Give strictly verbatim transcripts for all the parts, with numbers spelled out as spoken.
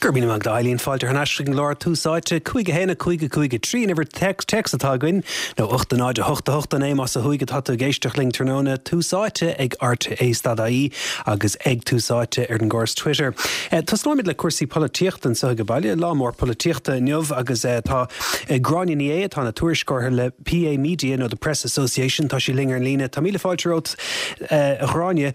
Gur bí mag Eileen fáilte thar n-ais chuig an gclár Tús Áite cúig a haon a cúig a cúig a trí an uimhir téacs atá againn nó ocht a náid a hocht a hocht a naoi más ó thuaidh atá tú ag éisteacht linn tráthnóna Tús Áite ag RTÉ stad IE agus ag Tús Áite ar an gcóras Twitter. Eh, Tosnóimid le cúrsaí polaitíochta anseo ag baile lá mór polaitíochta inniu agus eh, tá eh, Gráinne Ní Aodha atá ina tuairisceoir le PA Media nó the Press Association tá sí linn ar an líne Tá míle fáilte romhat a Ghráinne.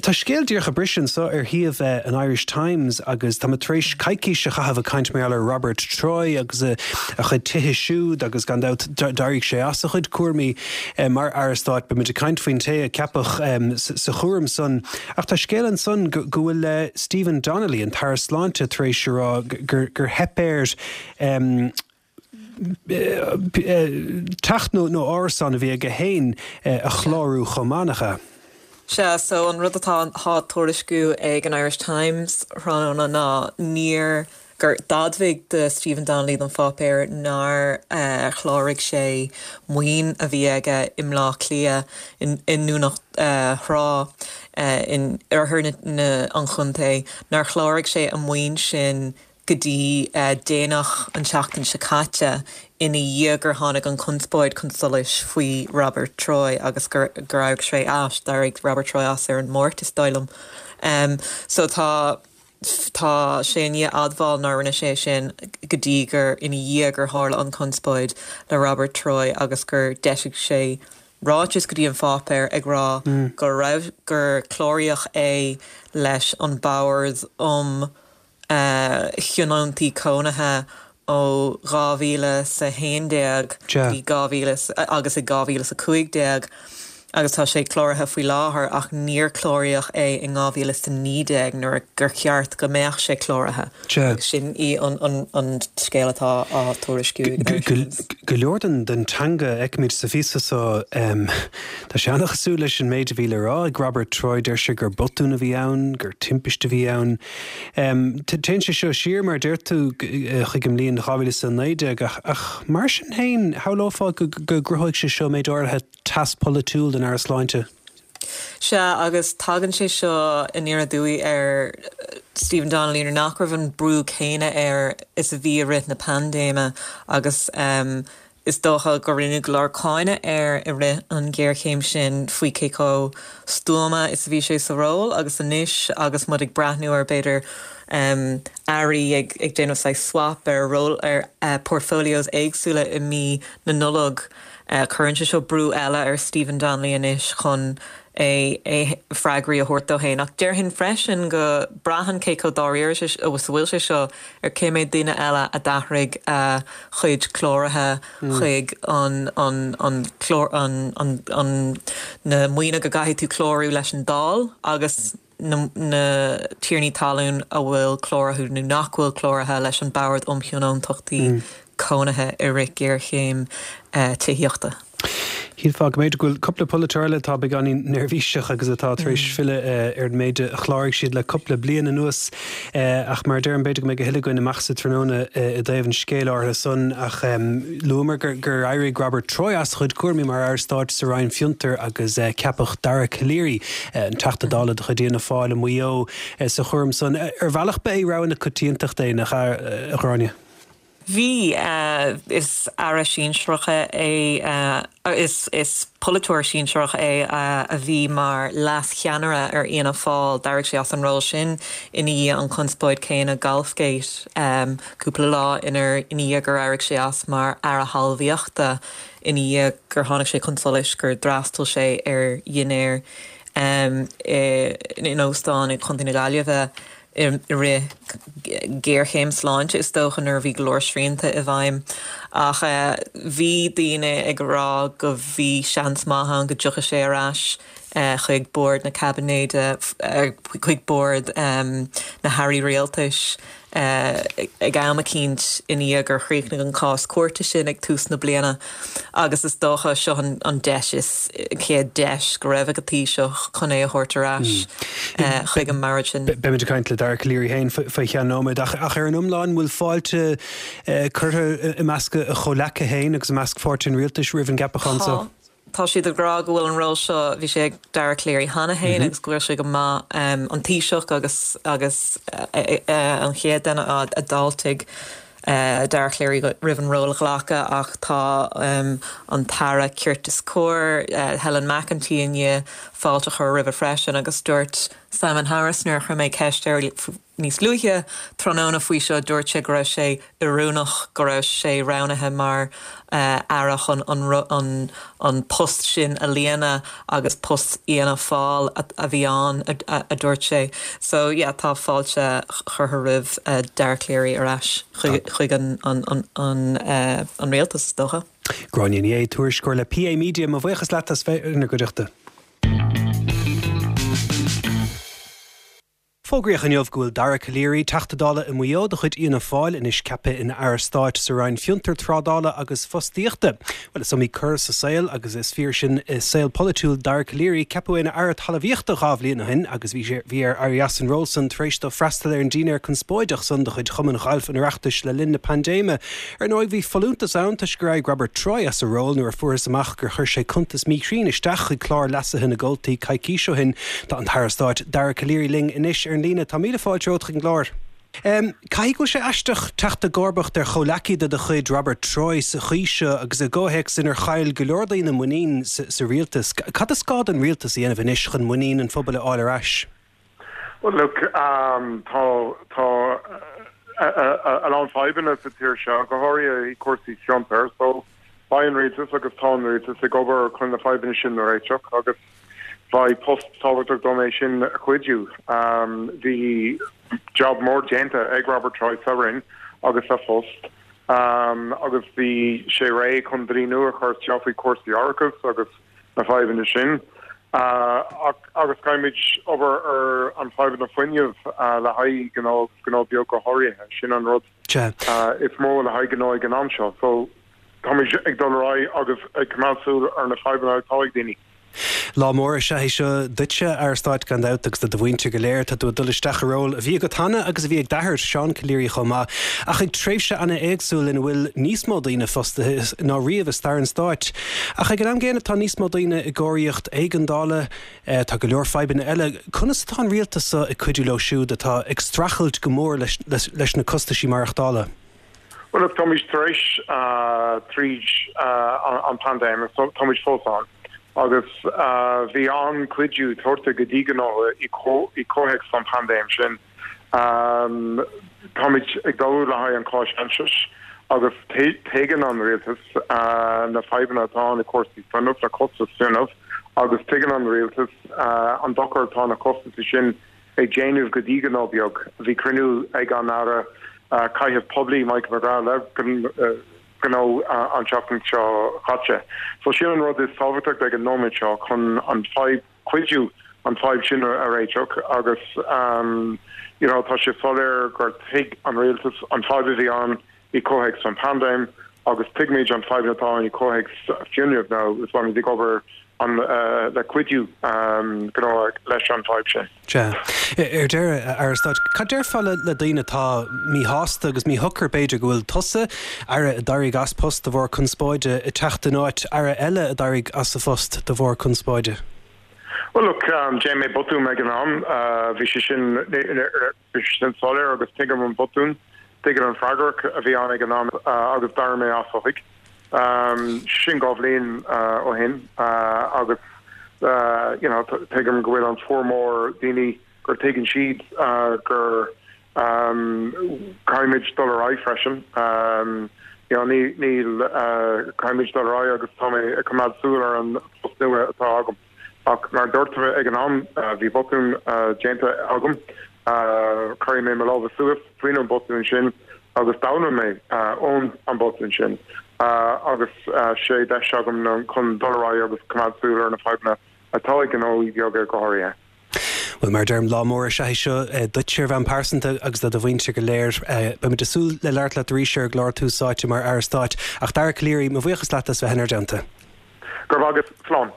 Tá scéal díreach ag briseadh anseo ar shuíomh an Irish Times agus tá tar éis coicís a chaitheamh ag caint mar Robert Troy agus a, a chuid tithe siúd agus gan dabht d'éirigh sé as a chuid cúraimí eh, mar aire stáit beimid ag caint faoin té a ceapadh um, sa chúram san ach tá scéal ansan go bhfuil uh, Stephen Donnelly an tAire Sláinte tar éis rá gur, gur theip air um, teach nó nó árasán a bhí aige féin a chlárú chomh maith. Sea so an rud atá á thuairisciú ag an Irish Times tráthnóna ná níor gur d'admhaigh de Stephen Donnelly don pháipéar nár uh, chláraigh sé maoin a bhí aige i mBleá Cliath in, i nDún uh, Trá uh, in oirthear an chontae nár chláraigh sé an maoin sin go dtí uh, déanach an tseachtain seo caite ina dhiaidh gur tháinig an conspóid chun solais faoi Robert Troy agus gur gur éirigh sé as d'éirigh Robert Troy as ar an Máirt is dóigh liom. Um, so tá tá sé ní admháil nár rinne sé sin go dtí gur ina dhiaidh gur tharla an conspóid le Robert Troy agus gur d'eisigh sé ráiteas go dtí an pháipéar ag rá mm. gur raibh gur cláraíodh é leis an Bord um uh, thionóntaí cónaithe ó dhá mhíle sa haon déag dhá mhíle agus i dhá mhíle sa cúig déag agus tá sé cláraithe faoi láthair ach níor cláraíodh é in dhá mhíle sa naoi déag nuair gur cheart go mbeadh sé cláraithe. Sin í an, an, an scéal atá á tuairisciú. Go leor den den teanga a fheicimid sa phíosa so um, Tá sé an-chosúil leis an méid a bhí le rá ag Robert Troy deir sé gur botún a bhí ann, gur timpiste a bhí ann. Um, Téann sé seo siar mar deir tú chuig an mbliain dhá mhíle sa naoi déag ach, ach mar sin féin shamhlófá go gcruthóidh sé seo méid áirithe teas polaitiúil den Aire Sláinte. Sea agus tagann sé seo aniar aduaidh ar Stephen Donnelly nach raibh an brú céanna air is a bhí i rith na paindéime agus um, is dócha gur rinneadh go leor cáineadh air i rith an ghéarchéim sin faoi cé chomh stuama is a bhí sé sa ról agus anois agus muid ag breathnú ar b'fhéidir um, airí ag, ag déanamh swap ar ról ar uh, portfolios éagsúla i mí na Nollag. Uh, Cuireann sé seo brú eile ar Stephen Donnelly anois chun é é freagraí a thabhairt dó féin ach déarfainn freisin go braitheann cé chomh dáiríre is a bhfuil sé seo ar cé mhéad duine eile a d'athraigh a chuid cláraithe mm. chuig an an an clár an, an, an na maoine go gcaithfidh tú clárú leis an Dáil agus na, na tiarnaí talún a bhfuil cláraithe nó nach bhfuil cláraithe leis an Bord um Thionóntachtaí mm. cónaithe i rith géarchéim uh, tithíochta. Shílfeá go mb'fhéidir go bhfuil cúpla polaiteoir eile atá beagáinín neirbhíseach agus atá tar éis mm. filleadh uh, ar an méid a chláraigh siad le cúpla bliain anuas uh, ach mar deirim b'fhéidir go mbeidh a thuilleadh againn amach sa tráthnóna uh, i dtaobh an scéil áirithe san ach um, luamar gur, gur éirigh Robert Troy as chuid cúraimí mar aire stáit sa Roinn Fiontar agus uh, ceapadh Dara Calleary uh, an Teachta Dála de chuid Fhianna Fáil i Maigh Eo uh, sa chúram san ar bhealach ba é rogha na coitiantachta é nach a Ghráinne. Bhí uh, is aire sinsearach é uh, is, is polaiteoir sinsearach é uh, a bhí mar leascheannaire ar Fhianna Fáil d'éirigh sé as an ról sin ina dhiaidh an conspóid céanna Golfgate um, cúpla lá inar ina dhiaidh gur éirigh sé as mar aire talmhaíochta ina dhiaidh gur tháinig sé chun solais gur d'fhreastail sé ar dhinnéar um, in óstán i gContae na Gaillimhe i rith géarchéim sláinte is dócha nuair bhí go leor srianta i bhfeidhm ach uh, bhí daoine ag rá go bhí seans maith ann go dtiocfadh sé ar ais uh, chuig bord na caibinéide uh, chuig bord um, na hairí rialtais uh, ag am eicínt ina dhiaidh gur chríochnaigh an cás cúirte sin ag tús na bliana agus is dócha seo an, an deis is chéad deis go raibh ag an Taoiseach chun é a thabhairt ar ais mm. uh, chuig an mbord sin. Beimid ag caint le Dara Calleary féin faoi cheann nóiméad ach ach ar an iomlán bhfuil fáilte uh, curtha i measc a chomhleacaithe féin agus i measc pháirtí an rialtais roimh an gceapachán seo. Tá siad ag rá go bhfuil an ról seo bhí sé ag Dara Calleary cheana féin mm -hmm. agus go bhfuil sé go maith um, an Taoiseach agus agus uh, uh, an chéad duine a d'fháiltigh uh, Dara Calleary roimh an ról a ghlacadh ach tá um, an tAire Cirt is Cóir uh, Helen McEntee inné fáilte a chur roimhe freisin agus dúirt Simon Harris nuair a chuir mé ceist air níos luaithe tráthnóna faoi seo dúirt sé go raibh sé oiriúnach go raibh sé roghnaithe mar uh, aire chun an, an, an post sin a líonadh agus post Fhianna Fáil a, a bhí ann a, a, a dúirt sé. So yeah, tá fáilte curtha roimh uh, Dara Calleary ar ais chuig an, an, an, an, uh, an rialtas dócha. Gráinne Ní Aodha tuairisceoir le PA Media mo bhuíochas leat as bheith inár gcuideachta. Fógraíodh inniu go bhfuil Dara Calleary Teachta Dála i Maigh Eo de chuid Fhianna Fáil anois ceaptha ina Aire Stáit sa Roinn Fiontar Trádála agus Fostaíochta. Well is iomaí cor sa saol agus is fíor sin i saol polaitiúil Dara Calleary ceapadh ina Aire Talmhaíochta dhá bhliain ó shin agus bhí bhí air éirí as an ról san tar éis dó freastal ar an dinnéar conspóideach san de chuid Chumann Gailf an Oireachtais le linn na paindéime. Ar ndóigh bhí folúntas ann toisc gur éirigh Robert Troy as a ról nuair a fuarthas amach gur chuir sé cuntas míchruinn isteach chuig clár leasaithe na gcomhaltaí coicís ó shin. Tá an tAire Stáit Dara Calleary linn anois ar an líne tá míle fáilte romhat chuig an gclár. Um, Caithfidh go bhfuil sé aisteach teacht i gcomharbacht ar chomhghleacaí de do chuid Robert Troy sa chaoi seo agus i gcomhthéacs inar chaill go leor daoine muinín sa, sa rialtas. Cad is gá don rialtas a dhéanamh anois chun muinín an phobail a fháil ar ais? Well look um, tá tá a lán fadhbanna sa tír seo go háirithe i cúrsaí fiontar so beidh an rialtas agus tá an rialtas ag obair chun na fadhbanna sin a réiteach agus bhí post tábhachtach dom é sin a chuidiú. Um, bhí job mór déanta ag Robert Troy sa Roinn agus sa phost. Um, agus bhí sé réidh chun dlí nua a chur isteach faoi cúrsaí árachais agus na fadhbanna sin. Uh, agus caithfimid obair ar an fadhbanna fuinnimh uh, le haghaidh gnó gnó beag go háirithe sin an rud uh, is mó le haghaidh gnó ag an am seo. So táimid ag dul ar aghaidh agus ag coimeád súil ar na fadhbanna atá ag daoine. Lá mór is ea é seo duitse a Aire Stáit gan dabht agus do do mhuintir go léir tá tú ag dul isteach i ról a bhí agat cheana agus a bhí ag d'athair Seán Calleary chomh maith ach ag tréimhse an-éagsúil ina bhfuil níos mó daoine fostaithe ná riamh i stair an stáit. Ach ag an am gcéanna tá níos mó daoine i gcóiríocht éigeandála eh, tá go leor fadhbanna eile. Conas atá an rialtas seo ag cuidiú leo siúd atá ag streachailt go mór leis, leis, leis na costaisí maireachtála? Well look táimid tar éis uh, tríd uh, an pandéim so táimid fós ann. agus uh, bhí an-chuidiú tugtha go dtí gnó i gcomhthéacs an pandéim sin. Um, táimid ag dul le haghaidh an cáis agus tuigeann an rialtas uh, na fadhbanna atá na cúrsaí fuinnimh le costas fuinnimh agus tuigeann an rialtas uh, an dochar atá na costais sin ag déanamh go dtí gnó beag. Bhí cruinniú ag an Aire uh, Caidrimh Phoiblí Michael McGrath le uh, gnó an tseachtain seo caite. So sin an rud is tábhachtach ag an nóiméad seo chun an fadhb cuidiú an fadhb sin a réiteach agus um, you know, tá sé soiléir gur thuig an rialtas an fadhb a bhí ann i gcomhthéacs an pandéim agus tuigimid an fadhb atá i gcomhthéacs fuinnimh nó is bhí ag obair an uh, le cuidiú um, gnó leis an fadhb sin. Sea. Ar deireadh a Aire Stáit, cad déarfá le le daoine atá míshásta agus míshocair b'fhéidir go bhfuil tusa aire a d'éirigh as post de bharr conspóide ag teacht in áit aire eile a d'éirigh as a phost de bharr conspóide? Well look um, Déan mé botún ag an am uh, bhí sé sin bhí sin soiléir agus tuigim an botún, tuigim an freagrach a bhí ann ag an am uh, agus d'éirigh mé as ó thuaidh. Um, sin dhá bhliain uh, ó shin uh, agus uh, you know, tuigim go bhfuil an formhór daoine gur tuigeann siad uh, gur um, caithfimid dul ar aghaidh freisin. Um, you know, ní níl uh, caithfimid dul ar aghaidh agus tá mé ag coimeád súil ar an post nua atá agam. Ach mar dúirt mé ag an am uh, bhí botún uh, déanta agam uh, chuir mé mo lámha suas faoin an botún sin agus d'fhoghlaim mé uh, ón an botún sin. Uh, agus uh, sé deis agam chun dul ar aghaidh agus coimeád súil ar na fadhbanna atá ag gnóthaí beaga go háirithe. Well mar deirim lá mór is ea é seo eh, duit ar bhonn pearsanta agus do do mhuintir go léir eh, Beimid ag súil le labhairt leat arís ar an gclár Tús Áite mar Aire Stáit ach Dara Calleary mo bhuíochas leat as bheith inár dteannta. Gur agus slán.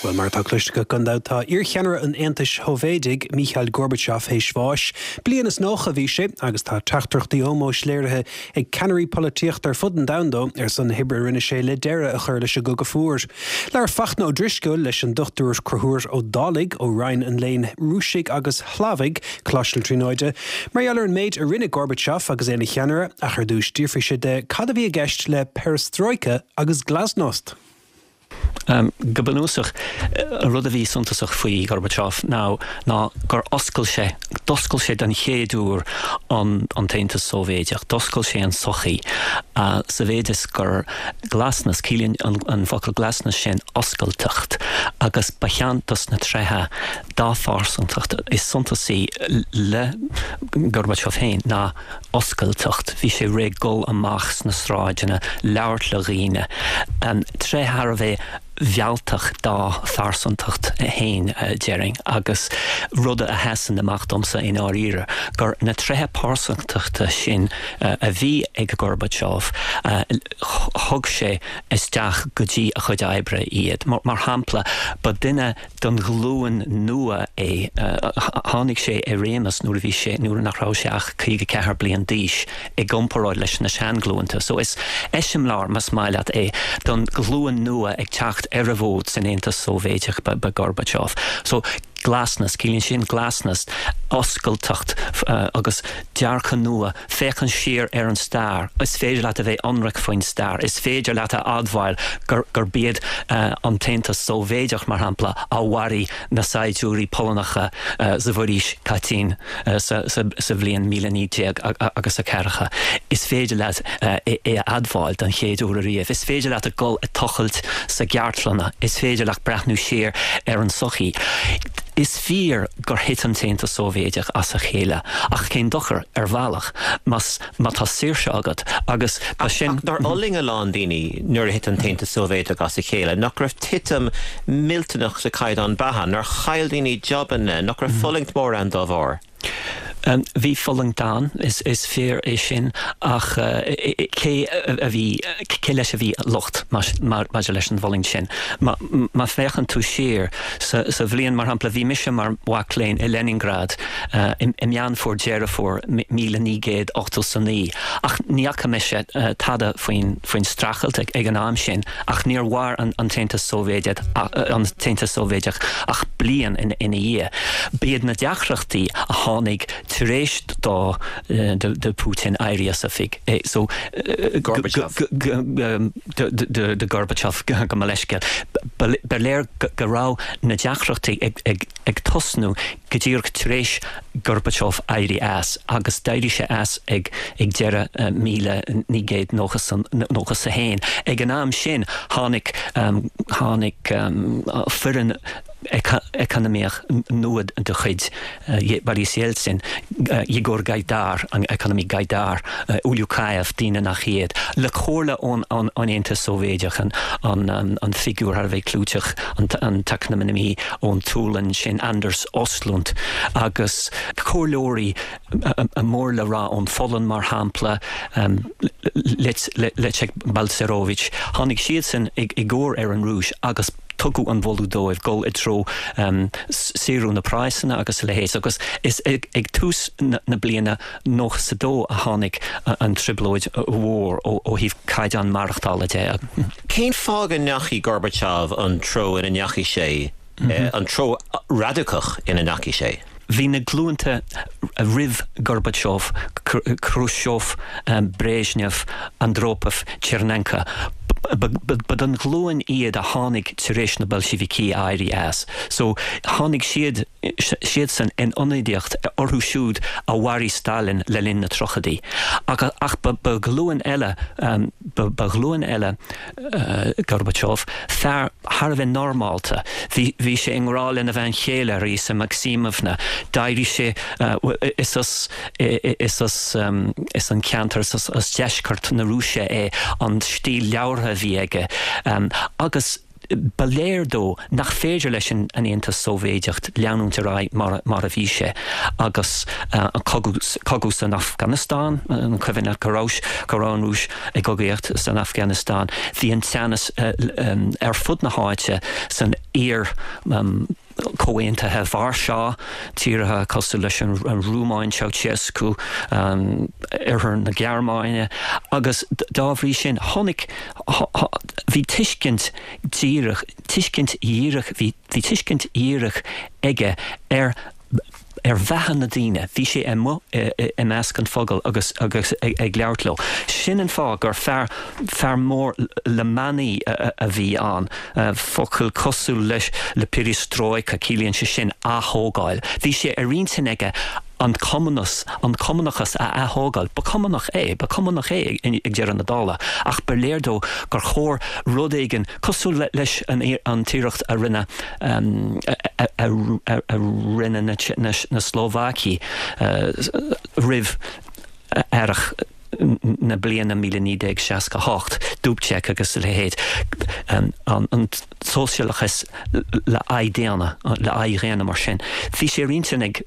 Well mar atá cloiste agat gan dabht tá iarcheannaire an Aontais Shóivéadaigh Mikhail Gorbachev théis bháis. Bliain is nócha a bhí sé agus tá teachtaireachtaí ómóis léirithe ag ceannairí polaitíochta ar fud an domhain dó ar son na hoibre a rinne sé le deireadh a chur leis an gCogadh Fuar. Labhair Fachtna Ó Drisceoil leis an Dochtúir Conchúr Ó Dálaigh ó Roinn an Léinn Rúisigh agus Shlavaigh, Coláiste na Tríonóide, mar gheall ar an méid a rinne Gorbachev agus é ina cheannaire ach ar dtús d'fhiafraigh sé de cad a bhí i gceist le perestroika agus glasnost. Um, go bunúsach an rud a bhí suntasach faoi Gorbachev ná ná gur oscail sé d'oscail sé den chéad uair an an tAontas Sóivéadach, d'oscail sé an sochaí uh, sa mhéid is gur glasnost ciallaíonn an, an focal glasnost sin oscailteacht agus ba cheann dos na tréithe dá phearsantacht is suntasaí le Gorbachev féin ná oscailteacht, bhí sé réidh dul amach sna sráideanna labhairt le daoine. Um, tréith thar a bheith mhealltach dá phearsantacht féin déarfainn agus rud a sheasann amach domsa i ndáiríre gur na tréithe pearsantachta sin a bhí ag Gorbachev thug sé isteach go dtí a chuid oibre iad. Mar, mar shampla ba duine den ghlúin nua é tháinig sé i réimeas nuair a bhí sé nuair nach raibh sé ach caoga ceathair bliain d'aois i gcomparáid leis na seanghlúnta. So is eiseamláir más maith leat é don ghlúin nua ag teacht ar an bhfód san Aontas Sóivéadach ba, ba Gorbachev. So glasnost, ciallaíonn sin glasnost, oscailteacht uh, agus dearcadh nua, féachaint siar ar an stair. Is féidir leat a bheith ionraic faoin stair, Is féidir leat a admháil gur, gur b'iad uh, an tAontas Sóivéadach mar shampla a mharaigh na saighdiúirí Polannacha uh, sa bhforaois Katyn uh, sa, sa, sa bhliain míle naoi déag agus a ceathracha. Is féidir leat uh, é, é a admháil den chéad uair riamh. Is féidir leat a gul ag tochailt sa gceartlanna, is féidir leat breathnú siar ar an sochaí. Is fíor gur thit an tAontas Sóivéadach as a chéile ach cén dochar ar bhealach mas má tá saoirse agat agus ba sin Nár fhulaing a lán daoine nuair a thit an tAontas Sóivéadach as a chéile, nach raibh titim millteanach sa chaighdeán beatha, nár chaill daoine jabanna, nach raibh fulaingt mór ann dá bharr. Um, bhí fulaingt ann is, is fíor é sin ach uh, cé a bhí cé leis a bhí locht maidir leis an bhfulaingt sin. Má, má féachann tú siar sa, sa bhliain mar shampla bhí mise mar mhac léinn i Leningrad uh, i, i Meán Fómhair Deireadh Fómhair míle naoi gcéad ochtó is a naoi ach ní fhaca mise uh, tada faoin faoin streachailt ag, ag an am sin ach níor mhair an, an tAontas Sóivéadach an tAontas Sóivéadach ach bliain ina ina dhiaidh. B'iad na deacrachtaí a tháinig tar éis dó de, de Putin éirí as oifig. So Gorbachev. de, de Gorbachev go mo leithscéal. Ba léir go raibh na deacrachtaí ag, ag, ag tosnú go díreach tar éis Gorbachev éirí as agus d'éirigh sé as ag ag deireadh uh, míle naoi gcéad nócha a haon. Ag an am sin tháinig um, tháinig um, foireann eacnamaíoch nua de chuid uh, Boris Yeltsin, uh, Yegor Gaidar, an eacnamaí Gaidar, uh, Ulyukayev daoine nach iad. Le comhairle ón an, an Aontas Sóivéadach an, an, an, an figiúr thar a bheith clúiteach an, an t-eacnamaí ón tSualainn sin Anders Östlund agus comhairleoirí a mór le rá ón Pholainn mar shampla um, Leszek Balcerowicz. Tháinig siadsan i, i gcabhair ar an Rúis agus tugadh an moladh dóibh gul i dtreo um, saorú na praghsanna agus a leithéid agus is ag, ag tús na, na bliana nócha is a dó a tháinig an trioblóid mhór ó, ó thaobh caighdeán maireachtála de. Cén fáth go ndeachaigh Gorbachev an treo ina ndeachaigh sé mm -hmm. an treo radacach ina ndeachaigh sé? Bhí na glúnta roimh Gorbachev, Khrushchev, um, Brezhnev, Andropov, Chernenko. Ba den ghlúin iad a tháinig tar éis na Boilséivicigh éirí as. So tháinig siad siadsan in ionadaíocht orthu siúd a mharaigh Stalin le linn na tríochaidí. Ach, ach ba, ba ghlúin eile um, ba, ba ghlúin eile uh, Gorbachev fear thar a bheith normálta. Bhí, bhí sé i ngrá lena bhean chéile Raisa Maximovna, d'éirigh sé uh, is as is as um, is an ceantar is as, as deisceart na Rúise é an stíl labhartha a bhí aige um, agus Ba léir dó nach féidir leis an Aontas Sóivéadach leanúint ar aghaidh mar mar a bhí sé agus an cogadh san Afganastáin, an cuimhin leat go raibh go raibh an Rúis ag cogaíocht san Afganastáin, bhí an teannas ar fud na háite san iar Comhaontaithe Vársá, tíortha cosúil leis an Rúmáin, Ceausescu, Oirthear na Gearmáine, agus dá bhrí sin tháinig, bhí tuiscint díreach, tuiscint dhíreach, bhí tuiscint dhíreach aige ar ar bheatha na daoine. Bhí sé amuigh i measc an phobail agus agus ag labhairt leo. Sin an fáth gur fear fear mór le manaí a bhí ann. Focal cosúil leis le perestrojka, ciallaíonn sé sin ath-thógáil. Bhí sé ar intinn aige an cumannachas, an cumannachas a ath-thógáil. Ba cumannach é, ba cumannach é ag deireadh na dála, ach ba léir dó gur chóir rud éigin cosúil leis an an t-iarracht a rinne a rinne na Slóvacaigh roimh earrach na bliana míle naoi déag seasca hocht, Dubček agus a leithéid, an sóisialachas le aghaidh daonna, le aghaidh dhaonna mar sin. Bhí sé ar intinn ag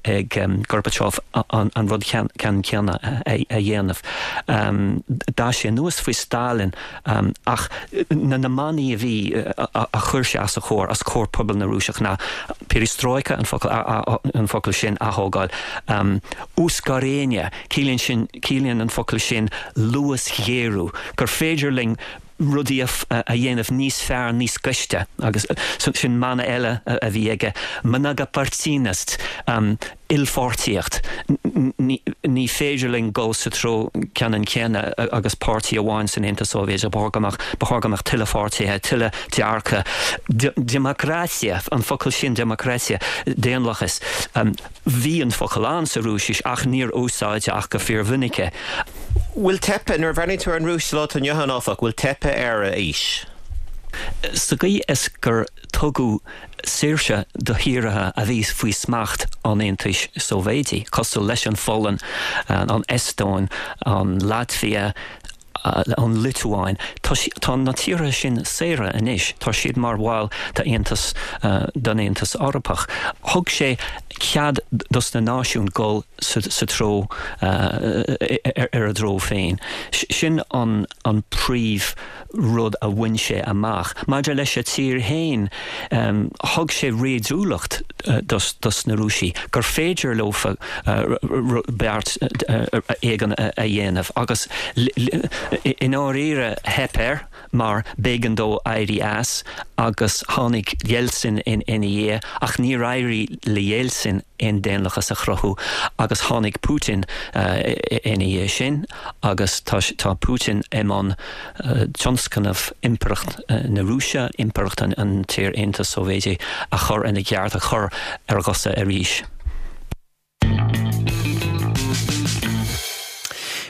Gorbachev an rud ceannann céanna a dhéanamh. D'fhás sé anuas faoi Stalin ach na na manaí a bhí a chuir sé as a chomhair, os comhair pobal na Rúiseach ná perestrojka, an focal an focal sin ath-thógáil, uskorenie, ciallaíonn sin, ciallaíonn an focal sin luasghéarú, gur féidir linn rudaí a dhéanamh níos fearr, níos gaiste agus sin mana eile a bhí aige, mnogopartiynost, ilpháirtíocht, ní féidir linn dul sa treo ceannann céanna agus páirtí amháin san Aontas Sóivéadach, ba chóir go mbeadh, ba chóir go mbeadh tuilleadh pháirtithe, tuilleadh dearcadh. Demokratiya, an focal sin demokratiya, daonlathas, bhí an focal ann sa Rúisis ach níor úsáideadh ach go fíormhinic é. Bhfuil teipthe, nuair a bhreathnaíonn tú ar an Rúis sa lá atá inniu ann, áfach, bhfuil teipthe ar a fhís? Sa gcaoi is gur tugadh saoirse do thíortha a bhí faoi smacht an Aontais Sóivéadaigh, cosúil leis an Pholainn, an Eastóin, an Laitvia, an Liotuáin, tá tá na tíortha sin saora anois, tá siad mar bhaill d'Aontas den Aontas Eorpach. Thug sé cead dos na náisiúin dul sa sa treo ar a dtreo féin. Sin an an príomh rud a bhain sé amach. Maidir leis a tír féin, thug sé réadúlacht dos dos na Rúisigh gur féidir leofa beart éigin a dhéanamh agus i ndáiríre theip air mar b'éigean dó éirí as agus tháinig Yeltsin ina dhiaidh ach níor éirigh le Yeltsin aon daonlathas a chruthú agus tháinig Putin ina dhiaidh sin agus tá tá Putin i mbun tionscnamh Impireacht na Rúise, Impireacht an tIar-Aontais Sóivéadaigh a chur ina gceart, a chur ar a gcosa arís.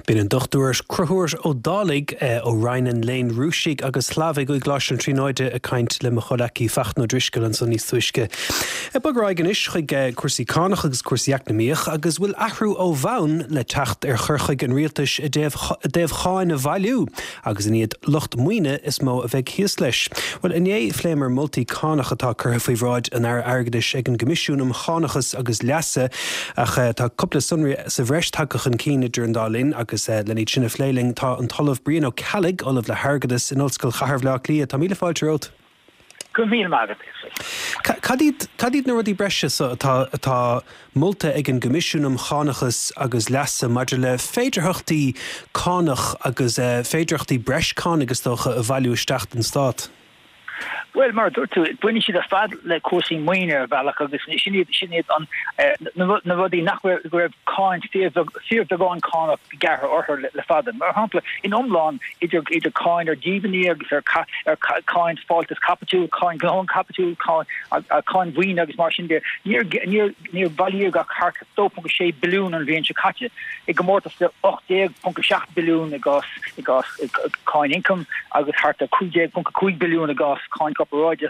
B'in an Dochtúir Conchúr Ó Dálaigh ó Roinn an Léinn Rúisigh agus Shlavaigh i gColáiste na Tríonóide ag caint le mo chomhleacaí Fachtna Ó Drisceoil ansan níos túisce. Ag bogadh ar aghaidh anois chuig cúrsaí cánach agus cúrsaí eacnamaíoch agus bhfuil athrú ó bhonn le teacht ar chur chuige an rialtais i dtaobh cháin a bhailiú agus an iad lucht maoine is mó a bheidh thíos leis. Bhuel inné phléamar moltaí cánach atá curtha faoi bhráid an Aire Airgeadais ag an gCoimisiún um Chánachas agus Leasa ach tá cúpla sonraí sa bhreis tagtha chun cinn idir an dá linn agus lena iad sin a phlé linn tá an tOllamh Brian Ó Ceallaigh, Ollamh le hAirgeadas in Ollscoil Chathair Bhaile Átha Cliath. Tá míle fáilte romhat. Go raibh míle maith agat. Cad iad cad iad na rudaí breise so atá atá molta ag an gCoimisiún um Chánachas agus Leasa maidir le féidearthachtaí cánach agus féidearthachtaí breis cánach is dócha a bhailiú isteach don Stát? Bhuel, mar a dúirt tú, baineann siad ar fad le cúrsaí maoine ar bhealach agus sin iad, sin iad an, na, na rudaí nach raibh, go raibh cáin, fíorbheag, fíorbheagán cánach gearrtha orthu le, le fada. Mar shampla, in iomlán, idir, idir cáin ar dhíbhinní agus ar, ar cáin fáltas caipitiúil, cáin ghnóthain caipitiúil, cáin, cáin mhaoine agus mar sin de, níor, níor, níor bailíodh ach thart ar dó ponc a sé billiún an bhliain seo caite, i gcomórtas le ocht déag ponc a seacht billiún i gcás, i gcás cáin ioncaim agus thart ar cúig déag ponc a cúig billiún i gcás cáin corparáide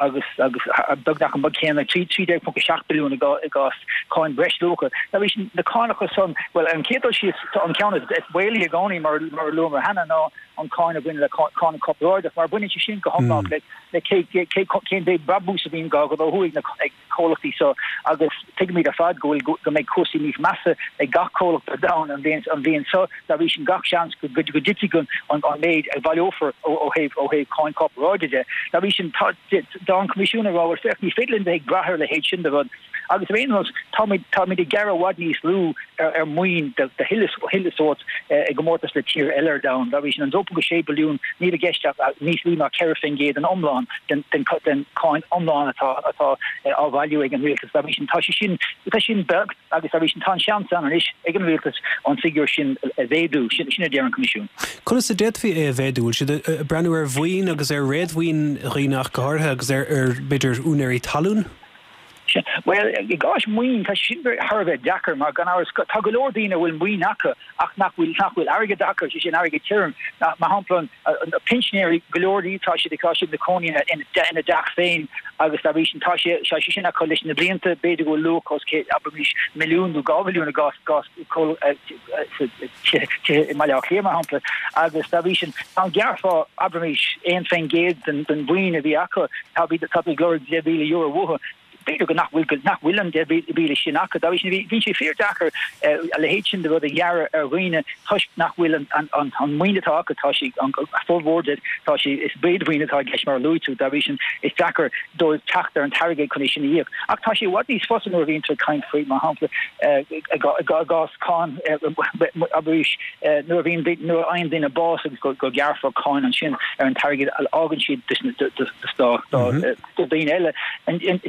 agus agus beagnach an méid céanna trí trí déag ponc a seacht billiún i gcás cáin bhreisluacha. Dá bhrí sin na cánacha san, bhuel an chéad dul síos an ceann is baolaí i gcónaí mar mar a luamar cheana ná an cáin a bhaineann le cáin corparáideach mar baineann sé sin go hiomlán le le cé cé cén mhéid brabús a bhíonn á ghnóthú ag na ag comhlachtaí so agus tuigimid ar fad go bhfuil go mbeidh cúrsaí níos measa ag gach comhlacht ar domhan an bhliain an bhliain seo dá bhrí sin gach seans go go dtitfidh an an an méid a bhaileofar ó ó thaobh ó thaobh cáin corparáide de. Dá bhrí sin tá tá an Coimisiún ag rá bhuel féach ní féidir linn bheith ag brath ar a leithéid sin de rud agus ar aon nós táimid táimid ag gearradh i bhfad níos lú ar ar maoin de de chuile chuile sórt i gcomórtas le tír eile ar domhan. Dá bhrí sin an dó ponc sé billiún níl i gceist ach níos lú ná ceithre faoin gcéad den iomlán den den den cáin iomlán atá atá á bhailiú ag an rialtas. Dá bhrí sin tá sé sin tá sin beag agus dá bhrí sin tá an seans ann anois ag an rialtas an figiúr sin a mhéadú sin sin a deir an Coimisiún. Conas a d'fhéadfaí é a mhéadú? Bhfuil siad ag breathnú ar mhaoin agus ar réadmhaoin dhaoine ach go háirithe agus ar ar b'fhéidir úinéirí talún? Bhuel, i gcás maoin tá sin thar a bheith deacair mar gan amhras tá go leor daoine a bhfuil maoin acu ach nach bhfuil nach bhfuil airgead acu, sé sin airgead tirim. Mar shampla pinsinéirí go leor díobh tá siad tá siad ina gcónaí ina ina dteach féin agus dá bhrí sin tá sé tá sé sin acu leis na blianta b'fhéidir go bhfuil luach os cionn abraimis milliún nó dhá mhilliún i gcás gcás i mBaile Átha Cliath mar shampla agus dá bhrí sin dá ngearrfá abraimis aon faoin gcéad den den mhaoin a bhí acu tá tá ag lorg deich mhíle euro uathu. B'fhéidir go nach bhfuil nach bhfuil an deich mhíle sin acu. Dá bhrí sin bíonn sé fíordheacair a leithéid sin de rud a ghearradh ar dhaoine toisc nach bhfuil an an an an maoin atá acu tá sé an formhór de tá sé is réadmhaoin atá i gceist mar a luaigh tú dá bhrí sin is deacair dóibh teacht ar an t-airgead chun é sin a íoc. Ach tá sé i bhfad níos fusa nuair a bhíonn tú ag caint faoi mar shampla i gcás cáin abraimis nuair a bhíonn nuair a fhaigheann duine bás agus go go ngearrfar cáin ansin ar an t-airgead a fhágann siad do do daoine eile.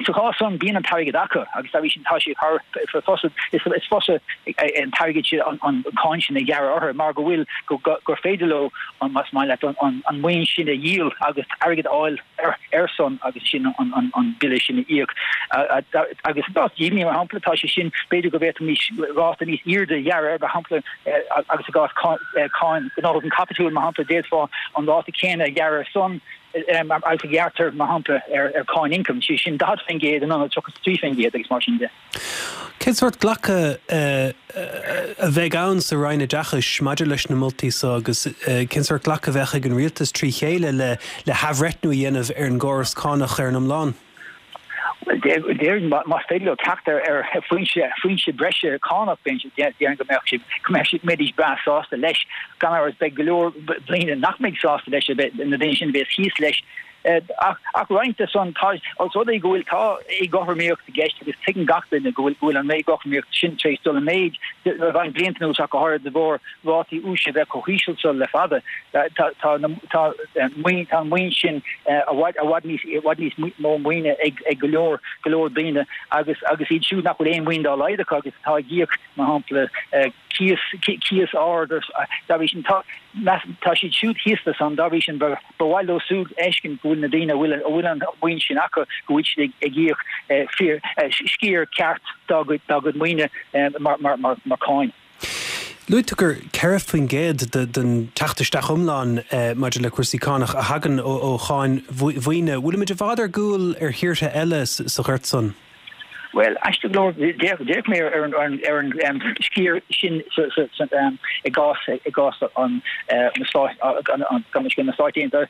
Sa chás san bíonn an t-airgead acu agus dá bhrí sin tá sé thar fusa is is fusa an t-airgead sin an an cáin sin a ghearradh orthu mar go bhfuil go gur féidir leo an más maith leat an an an maoin sin a dhíol agus airgead a fháil ar ar son agus sin an an an bille sin a íoc agus i gcás díbhinní mar shampla tá sé sin b'fhéidir go bhféadfaimis ráta níos airde a ghearradh mar shampla agus i gcás cáin gnóthachan caipitiúil mar shampla d'fhéadfá an ráta céanna a ghearradh ar son agus a ghearrtar mar shampla ar ar cáin ioncaim, sé sin daichead faoin gcéad in ionad tríocha trí faoin gcéad agus mar sin de. Cén sórt glacadh a bheidh ann sa Roinn Oideachais maidir leis na moltaí seo agus cén sórt glacadh a bheadh ag an rialtas trí chéile le le hathbhreithniú a dhéanamh ar an gcóras cánach ar an iomlán? Bhuel, déarfainn más féidir leo teacht ar ar foinse foinse breise cánach déarfainn go mbeadh siad go mbeadh siad mbeidís breá sásta leis. Gan amhras beidh go leor daoine nach mbeidh sásta leis na daoine sin a bheas thíos leis. Ach ach roinnt de san tá os rud é go bhfuil tá éagothromaíocht i gceist agus tuigeann gach duine go bhfuil go bhfuil an éagothromaíocht sin tar éis dul i méid le roinnt blianta anuas ach go háirithe de bharr rátaí úis a bheith chomh híseal seo le fada. Tá tá tá maoin tá an maoin sin i bhfad i bhfad níos i bhfad níos mó maoine ag ag go leor go leor daoine agus agus iad siúd nach bhfuil aon mhaoin dá laghad acu agus atá ag íoc mar shampla cíos cíos ard dá bhrí sin tá tá siad siúd thíos leis an dá bhrí sin ba ba mhaith leo siúd fheiscint go bhfuil na daoine a bhfuil a bhfuil an mhaoin sin acu go bhfuil siad ag ag íoc fíor sciar ceart dá gcuid dá gcuid maoine mar mar mar mar cáin. Luaigh tú gur ceithre faoin gcéad den teacht isteach iomlán maidir le cúrsaí cánach a thagann ó cháin mhaoine. Bhfuilimid i bhfad ar gcúl ar thíortha eile sa ghort san? Bhuel, aisteach go leor, d'fhéach mé ar an ar an sciar sin i gcás i gcás an na Stáit na Stáit Aontaithe,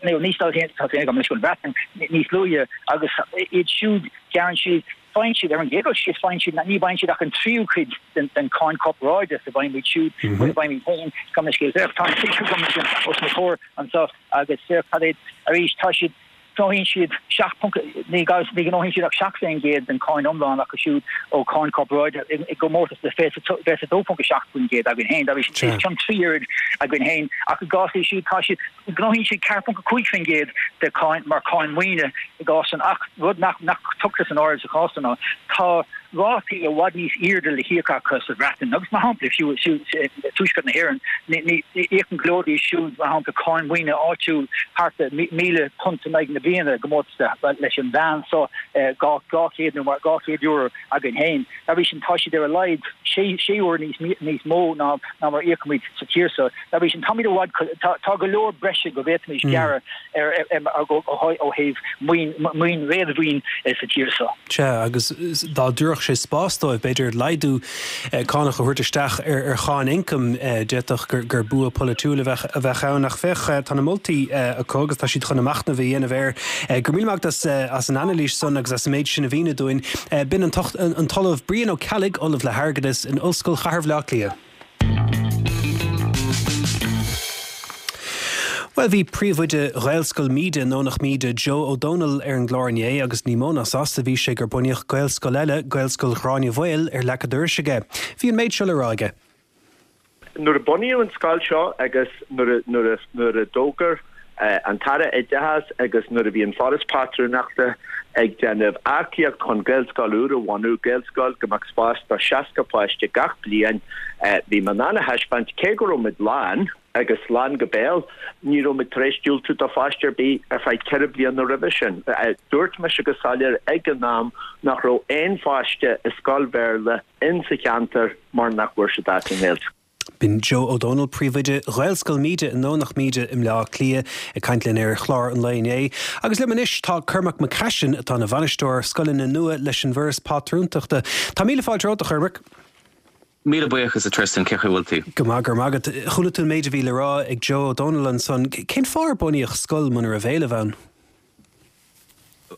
nó ní Stáit Aontaithe, gabh mo leithscéal an Bhreatain níos luaithe agus iad siúd gearrann siad Faigheann siad, ar an gcéad dul síos, faigheann siad, ní bhfaigheann siad ach an tríú cuid den den cháin corparáide is a bhfaighimid siúd, a bhfaighimid féin, gabh mo leithscéal. Féach, tá an figiúr agam ansin os mo chomhair anseo agus féach cad é, arís, tá siad, gnóthaíonn siad seacht ponc, ní ní ghnóthaíonn siad ach seacht faoin gcéad den cháin iomlán acu siúd ó cháin corparáide i i gcomórtas le fiche fiche dó ponc a seacht faoin gcéad againn féin. Dá bhrí sin, os cionn trí oiread againn féin ach i gcás iad siúd, tá siad, Gnóthaíonn siad ceathair ponc a cúig faoin gcéad de cháin mar cháin maoine i gcás san ach rud nach nach tugtar san áireamh sa chás san ná tá rátaí i bhfad níos airde le híoc acu sa Bhreatain agus mar shampla fiú tuaisceart na hÉireann íocann go leor díobh siúd mar shampla cáin mhaoine áitiúil thart ar míle punt in aghaidh na bliana i gcomórtas leis an mheán so dhá chéad nó mar dhá chéad euro againn féin. Dá bhrí sin tá siad ar a laghad sé sé uair níos níos mó ná ná mar íocaimid sa tír so. Dá bhrí sin táimid i bhfad tá go leor breise go bhféadfaimis gearradh ar ó thaobh maoin maoin réadmhaoin sa tír so. Sea, agus dá dtabharfadh sé spás dóibh, b'fhéidir laghdú cánach a thabhairt isteach ar cháin ioncaim, d'fhéadfadh gur bua polaitiúil a bheadh ann. Ach féach, tá na moltaí acu agus tá siad chun a machnamh a dhéanamh air. Go raibh míle maith agat as an anailís san agus as an méid sin a mhíniú dúinn. B'in an tOllamh Brian Ó Ceallaigh, Ollamh le hAirgeadas in Ollscoil Chathair Bhaile Átha Cliath. Bhuel, bhí príomhoide Ghaelscoil Míde i nDomhnach Míde, Joe Ó Dónaill, ar an gclár inné agus ní mó ná sásta a bhí sé gur bunaíodh Gaelscoil eile, Gaelscoil Ghráinne Mhaol, ar leac a dorais aige. Bhí an méid seo le rá aige. Nuair a bunaíodh an scoil seo agus nuair a nuair a d'fhógair an tAire Oideachais agus nuair a bhí an Foras Pátrúnachta ag déanamh earcaíocht chun Gaelscoil úr a bhunú, Gaelscoil go mbeadh spás do seasca páiste gach bliain, bhí mé in ann a thaispeáint cé go raibh muid lán agus lán go béal, ní raibh muid tar éis diúltú do pháiste ar bith ar feadh ceithre bliana roimhe sin. Dúirt mise go soiléir ag an am nach raibh aon pháiste i scoil Bhéarla in sa cheantar mar nach bhfuair siad áit i nGaelscoil. B'in Joe Ó Dónaill, príomhoide Ghaelscoil Míde i nDomhnach Míde i mBleá Cliath, ag caint linn ar chlár an lae inné. Agus liom anois tá Cormac Mac Caisin, atá ina bhainisteoir scoileanna nua leis an bhForas Pátrúntachta. Tá míle fáilte romhat, a Chormaic. Míle buíochas a Tristan, cén chaoi a bhfuil tú? Go maith, go raibh maith agat. Chuala tú an méid a bhí le rá ag Joe Ó Dónaill ansan. Cén fáth ar bunaíodh scoil muna raibh éileamh ann?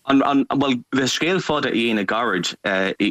An, an, bhuel, le scéal fada a dhéanamh gairid,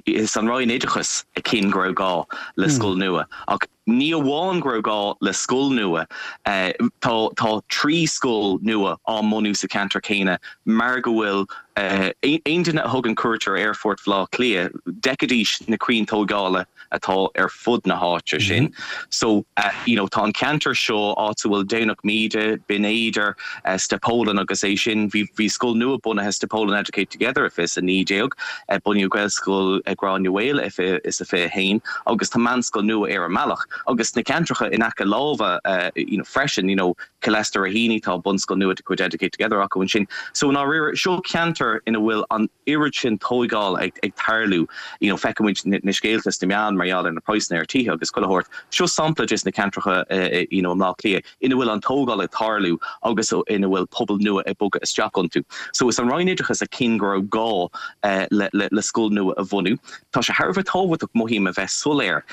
is an Roinn Oideachais a chinn go raibh gá le scoil nua. Ach ní amháin go raibh gá le scoil nua, tá, tá trí scoil nua á mbunú sa cheantar céanna mar go bhfuil aon duine a thugann cuairt ar Aerfort Bhaile Átha Cliath, d'fheicfidís na crainn tógála atá ar fud na háite sin. So, you know, tá an ceantar seo, áit a bhfuil Domhnach Míde, Binn Éadair, Steppólan agus é sin, bhí, bhí scoil nua bunaithe, Steppólan Educate Together i fiche is a naoi déag, bunaíodh Gaelscoil Ghráinne Mhaol i fiche is a fiche a haon agus tá meánscoil nua ar an mbealach. Agus sna ceantracha in aice láimhe, you know, freisin, you know, Cill Easca Raheny, tá bunscoil nua de chuid Educate Together acu ansin. So, i ndáiríre, seo ceantar ina bhfuil an oiread sin tóigeáil ag ag tarlú. You know, feicimid na scéalta sna meáin mar gheall ar na praghsanna ar tithe agus chuile shórt. Seo sampla des na ceantracha you know, i mBleá Cliath ina bhfuil an tógáil ag tarlú agus ina bhfuil pobal nua ag bogadh isteach iontu. So is an Roinn Oideachais a chinn go raibh gá le le le scoil nua a bhunú. Tá sé thar a bheith tábhachtach, mothaím, a bheith soiléir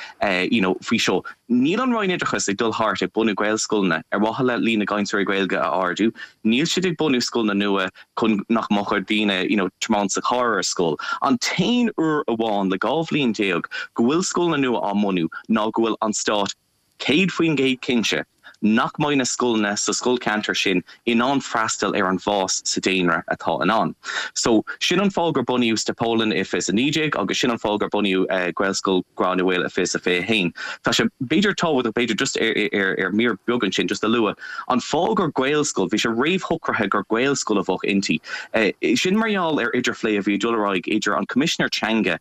you know, faoi seo. Níl an Roinn Oideachais ag dul thart ag bunú Gaelscoileanna ar mhaithe le líon na gcainteoirí Gaeilge a ardú. Níl siad ag bunú scoileanna nua chun nach mbeadh ar daoine you know tiomáint sa charr ar scoil. An t-aon uair amháin le dhá bhliain déag go bhfuil scoileanna nua á mbunú ná go bhfuil an Stát céad faoin gcéad cinnte nach mbeidh na scoileanna sa scoilcheantar sin in ann freastal ar an bhfás sa daonra atá i ndán. So, sin an fáth gur bunaíodh Steppólan i fiche is a naoi déag agus sin an fáth gur bunaíodh Gaelscoil Ghráinne Mhaol i fiche is a fiche a haon. Tá sé b'fhéidir tábhachtach, b'fhéidir just ar ar mír beag ansin just a lua, an fáth gur Gaelscoil, bhí sé réamhshocraithe gur Gaelscoil a bheadh inti. Sin mar gheall ar idirphlé a bhí ag dul ar aghaidh idir an Coimisinéir Teanga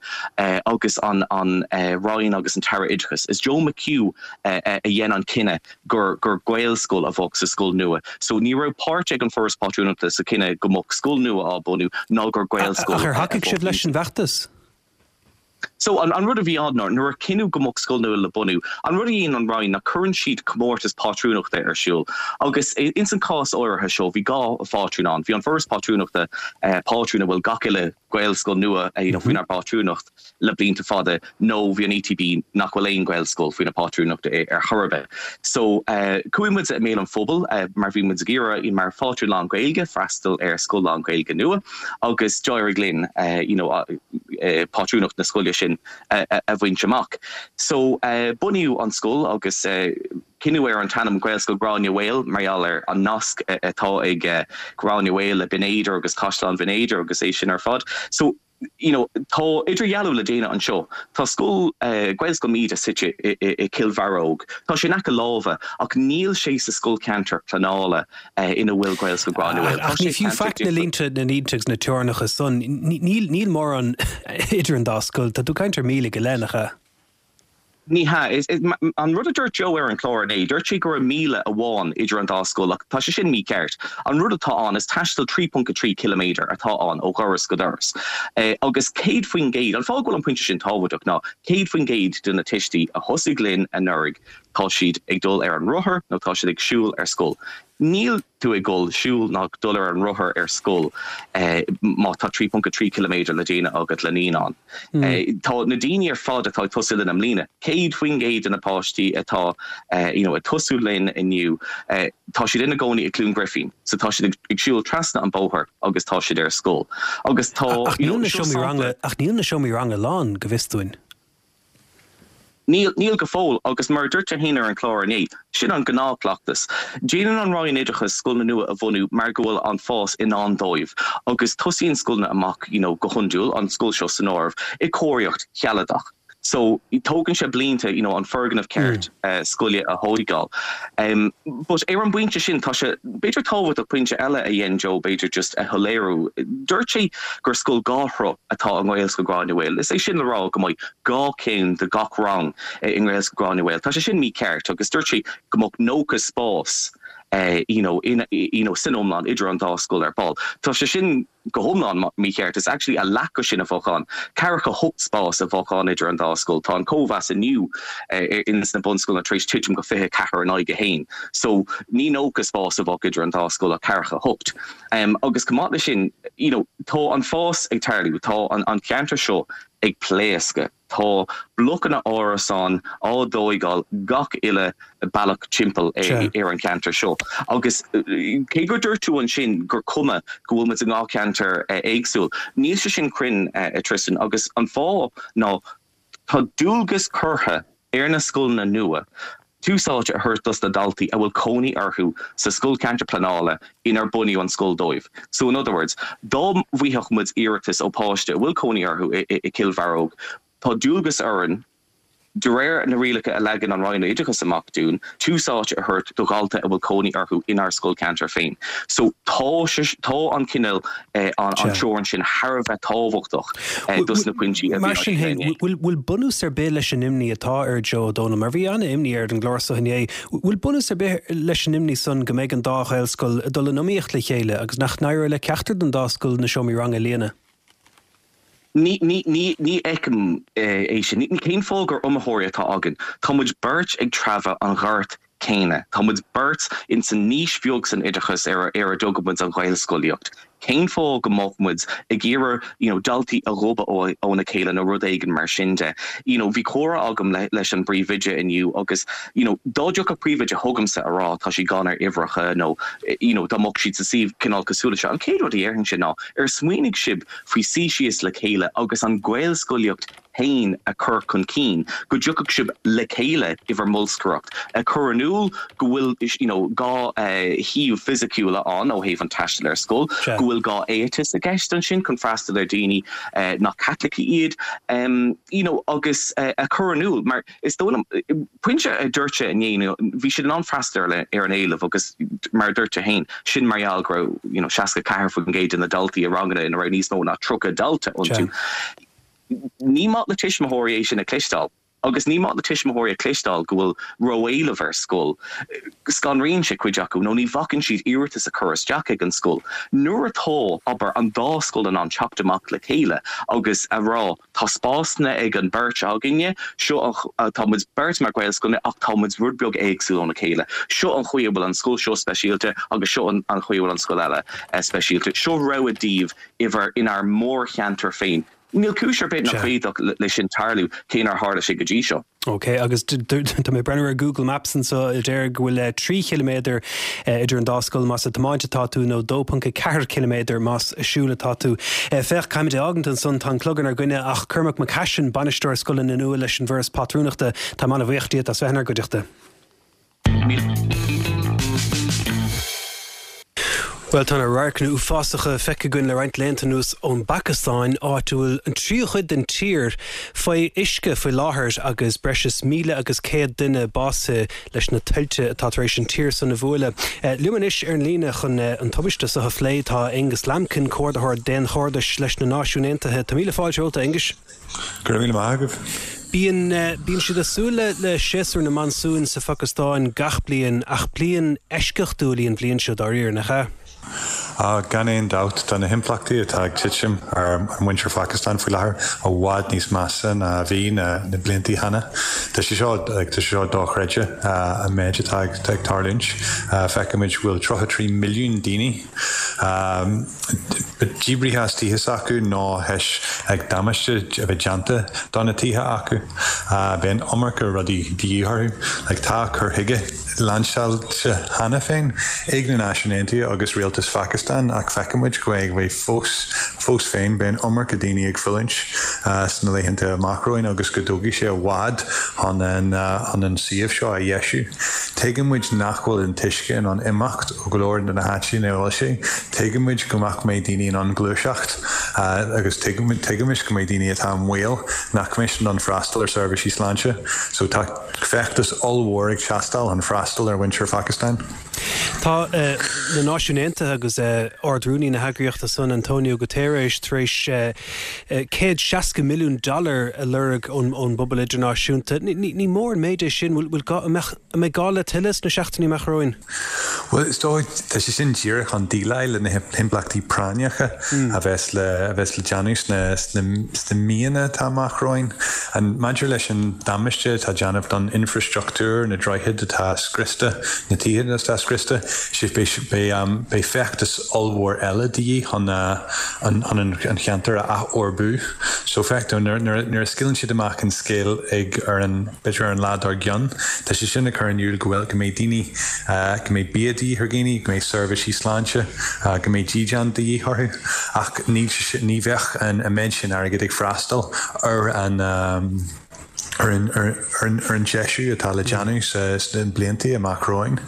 agus an an Roinn agus an tAire Oideachais. Is Joe McHugh a dhein an cinneadh gur gur Gaelscoil a bheadh sa scoil nua. So ní raibh páirt ag an Foras Pátrúnachta sa chinneadh go mbeadh scoil nua á bunú ná gur Gaelscoil Ach ar a thacaigh bheadh sibh leis inti. an bhfeachtas? So an an rud a bhí ann ná nuair a cinneadh go mbeadh scoil nua le bunú, an rud a dhéanann an Roinn ná cuireann siad comórtas pátrúnachta ar siúl. Agus ins an cás áirithe seo bhí dhá phátrún ann. Bhí an Foras Pátrúnachta, pátrún a bhfuil gach uile Ghaelscoil nua you know faoinár bpátrúnacht le blianta fada nó bhí an ETB nach bhfuil aon Ghaelscoil faoina pátrúnacht ar chor ar bith. So chuaigh muid i mbéal an phobail mar bhí muid ag iarraidh mar phátrún lán-Ghaeilge freastal ar scoil lán-Ghaeilge nua agus d'éirigh linn you know pátrúnacht na scoile sin a bhaint amach. So bunaíodh an scoil agus cinneadh ar an t-ainm Gaelscoil Ghráinne Mhaol mar gheall ar an nasc atá ag Gráinne Mhaol le Binn Éadair agus Caisleán Bhinn Éadair agus é sin ar fad. So you know, tá idirdhealú le déanamh anseo. Tá scoil uh, Gaelscoil Míde suite i, i, i Cill Bharróg. Tá sé in aice láimhe ach níl sé sa scoilcheantar pleanála uh, ina bhfuil Gaelscoil Ghráinne Ach ní fiú faic na línte na línte na teorainneacha san níl níl mórán idir an dá scoil, tá tú ag caint ar míle go leith nach ea. Ní hea is, is, an rud a dúirt Joe ar an chlár inné, dúirt sé go raibh míle amháin idir an dá scoil ach tá sé sin mícheart. An rud atá ann is taisteal trí ponc a trí ciliméadar atá ann ó dhoras go doras. Eh, agus céad faoin gcéad, an fáth go bhfuil an pointe sin tábhachtach ná céad faoin gcéad de na tuistí a thosaigh linn anuraidh tá siad ag dul ar an rothar nó tá siad ag siúl ar scoil. Níl tú ag dul siúl ná dul ar an rothar ar scoil eh, má tá trí ponc a trí ciliméadar le déanamh agat le naíonán. Mm. Eh, tá na daoine ar fad atá ag tosú linn i mbliana, céad faoin gcéad de na páistí atá eh, you know, ag tosú linn inniu, eh, tá siad ina gcónaí i Cluain Ghrifín, so tá siad ag, ag siúl trasna an bóthar agus tá siad ar scoil. Agus tá ach níl na seomraí ranga ach níl na seomraí ranga lán go bhfios dúinn. Níl níl go fóill agus mar dúirt tú féin ar an chlár inné, sin an gnáthchleachtas. Déanann an Roinn Oideachais scoileanna nua a bhunú mar go bhfuil an fás i ndán dóibh agus tosaíonn scoileanna amach you know, go hiondúil an scoil seo san áireamh i cóiríocht shealadach. So tógann sé blianta you know, an foirgneamh ceart mm. uh, scoile a thógáil. Um, but ar an bpointe sin tá sé b'fhéidir tábhachtach pointe eile a dhein Joe b'fhéidir just a shoiléiriú. Dúirt sé gur scoil dhá shruth atá i nGaelscoil Ghráinne Mhaol. Is é sin le rá go mbeidh dhá chéim de gach rang i nGaelscoil Ghráinne Mhaol. Tá sé sin mícheart agus dúirt sé go mbeadh nócha spás uh, you know, in, you know, san iomlán idir an dá scoil ar ball. Tá sé sin go hiomlán mícheart is actually a leath de sin a bheadh ann. Ceathracha hocht spás a bheadh ann idir an dá scoil tá an cóimheas inniu uh, in sna bunscoileanna tar éis titim go fiche ceathair in aghaidh a haon. So ní nócha spás a bheadh idir an dá scoil ach ceathracha hocht. Um, agus chomh maith leis sin you know, tá an fás ag tarlú tá an, an ceantar seo ag pléascadh. Tá blocanna árasán á dtógáil gach uile bealach timpeall ar an ceantar seo. Agus cé gur dúirt tú ansin gur cuma go bhfuil muid i dhá cheantar éagsúil. Níl sé sin cruinn a Tristan agus an fáth ná tá dualgas curtha ar na scoileanna nua. Tús áite a thabhairt dos na daltaí a bhfuil cónaí orthu sa scoilcheantar pleanála inar bunaíodh an scoil dóibh. So in other words, dá bhfaigheadh muid iarratas ó páiste a bhfuil cónaí orthu i Cill Bharróg, tá dualgas orainn de réir na rialacha a leagann an Roinn Oideachais amach dúinn, tús áite a thabhairt do dhalta a bhfuil cónaí orthu inár scoilcheantar féin. So tá tá an cineál eh, an an teorainn sin thar a bheith tábhachtach eh, dos na pointí a Mar sin féin, bhfuil bunús ar bith leis an imní atá ar Joe O'Donnell, mar bhí an-imní ar an gclár seo inné, bhfuil bunús ar bith leis an imní san go mbeidh an dá Ghaelscoil ag dul in iomaíocht le chéile agus nach n-éireoidh le ceachtar den dá scoil na seomraí ranga a líonadh? Ní ní ní ní fheicim é sin. Ní cén fáth gur iomaitheoirí atá againn. Tá muid beirt ag treabhadh an ghort céanna. Tá muid beirt in san niche bheag san oideachas ar ar a dtugann muid an Ghaelscolaíocht. Cén fáth go mbeadh muid ag iarraidh you know, daltaí a dhíbreadh óna chéile nó rud éigin mar sin de. You know, bhí comhrá agam le, leis an bpríomhoide inniu agus you know, dá dtiocfadh príomhoide chugamsa a rá tá sí gann ar uimhreacha nó you know, dá mbeadh siad sa suíomh cineál cosúil seo. An chéad rud a dhéarfainnse ná ar smaoinigh sibh faoi suí síos le chéile agus an Ghaelscolaíocht féin a chur chun cinn, go dtiocfadh sibh le chéile i bhur mbolscaireacht, a chur in iúl go bhfuil you know, gá eh, shuíomh fisiciúla ann ó thaobh an taistil ar scoil, go bhfuil gá éitis i gceist ansin chun freastal ar daoine eh, nach Caitlicigh iad, um, you know, agus eh, a chur in iúl mar is dóigh liom pointe a dúirt sé inné bhí siad in ann freastal ar an éileamh agus mar dúirt sé féin sin mar gheall go raibh you know, seasca ceathair faoin gcéad de na daltaí i ranganna ina raibh níos mó ná tríocha dalta iontu. Ní maith le tuismitheoirí é sin a chloisteáil. Agus ní maith le tuismitheoirí a chloisteáil go bhfuil ró-éileamh ar scoil. Scanraíonn sé cuid acu nó ní bhacann siad iarratas a chur isteach ag an scoil. Nuair atá abair an dá scoil in ann teacht amach le chéile agus a rá tá spásanna ag an beirt againne, seo tá muid beirt mar Ghaelscoileanna ach tá muid rud beag éagsúil óna chéile. Seo an chaoi a bhfuil an scoil seo speisialta agus seo an chaoi a bhfuil an scoil eile speisialta. Seo rogha daoibh i inár mórcheantar féin. Níl cúis ar bith nach féidir leis sin tarlú cé nár tharla sé go dtí seo. Ok, agus tá mé ag breathnú ar Google Maps anseo a deir go bhfuil trí chiliméadar idir an dá scoil más ag tiomáint atá tú nó dó ponc ceathair ciliméadar más ag siúl atá tú. Féach caithfimid é a fhágaint ansan tá an clog inár gcoinne ach Cormac Mac Caisin bainisteoir scoileanna nua leis an bhForas Pátrúnachta tá mé an-bhuíoch díot as bheith inár gcuideachta. Bhuel tá na radharcanna uafásacha feicthe againn le roinnt laethanta anuas ón bPacastáin áit a bhfuil an tríú chuid den tír faoi uisce faoi láthair agus breis is míle agus céad duine básaithe leis na tuilte atá tar éis an tír san a bhualadh. Eh, Liom anois ar an líne chun eh, an tubaiste seo a phlé tá Angus Lambkin comhordaitheoir daonchairdis leis na Náisiúin Aontaithe. Tá míle fáilte romhat Angus. Go raibh míle maith agaibh. Bíonn eh, bíonn siad ag súil le le séasúr na monsún sa Phacastáin gach bliain ach bliain eisceachtúil í an bhliain seo dáiríre nach ea? Uh, gan aon dabht tá na himpleachtaí atá ag titim ar muintir Phacastáin faoi láthair i bhfad níos measa ná bhí na, na blianta cheana. Tá sé seo tá sé seo dochreidte uh, an méid atá ag ag tarlúint. Uh, Feicimid bhfuil tríocha trí milliún daoine um, díbrithe as tithe acu nó théis ag damáiste a bheith déanta do na tithe acu. Uh, Bíonn iomarca rudaí de dhíth orthu, like, tá cur chuige lainseáilte cheana féin ag na Náisiúin Aontaithe agus rialtas Phacastáin ach feicimid go bhfuil fós fós féin bíonn iomarca daoine ag fulaingt uh, sna laethanta amach romhainn agus go dtógfaidh sé i bhfad chun an uh, an an suíomh seo a dheisiú. Tuigimid nach bhfuil an t-uisce in ann imeacht ó go leor de na háiteanna ina bhfuil sé. Tuigimid go nach mbeidh daoine in ann gluaiseacht uh, agus tuigimid go mbeidh daoine atá i mbaol nach mbeidh in ann freastal ar seirbhísí sláinte, so tá feachtas ollmhór ag teastáil chun freastal ar mhuintir Phacastáin. Tá uh, na Náisiúin Aontaithe agus uh, Ard-Rúnaí na heagraíochta san Antonio Guterres tar éis uh, uh, céad seasca milliún dollar a lorg ón ón bpobal idirnáisiúnta. Ní, ní mór an méid é sin bhfuil mbeidh gá le tuilleadh sna seachtainí amach romhainn. Well is dóigh tá sé sin díreach chun déileáil le na himpleachtaí práinneacha mm. a bheas le a bheas le déanamh sna sna míonna atá amach romhainn. An maidir leis an damáiste atá déanamh don infrastruchtúr na droichid atá scriosta na tithe atá scriosta sé um, beidh feachtas ollmhór eile de dhíth chun an an an cheantar a athfhorbartú. So feictear nuair a scaoileann siad amach an scéal ag ar an b'fhéidir ar an lá dár gcionn, Tá sé sin ag cur in iúl go bhfuil go mbeidh daoine go mbeidh bia de dhíth ar dhaoine, go mbeidh seirbhísí sláinte, go mbeidh dídean de dhíth orthu ach ní ní bheadh an méid sin airgid ag freastal ar an um, ar an ar an deisiú atá le déanamh sna blianta amach romhainn.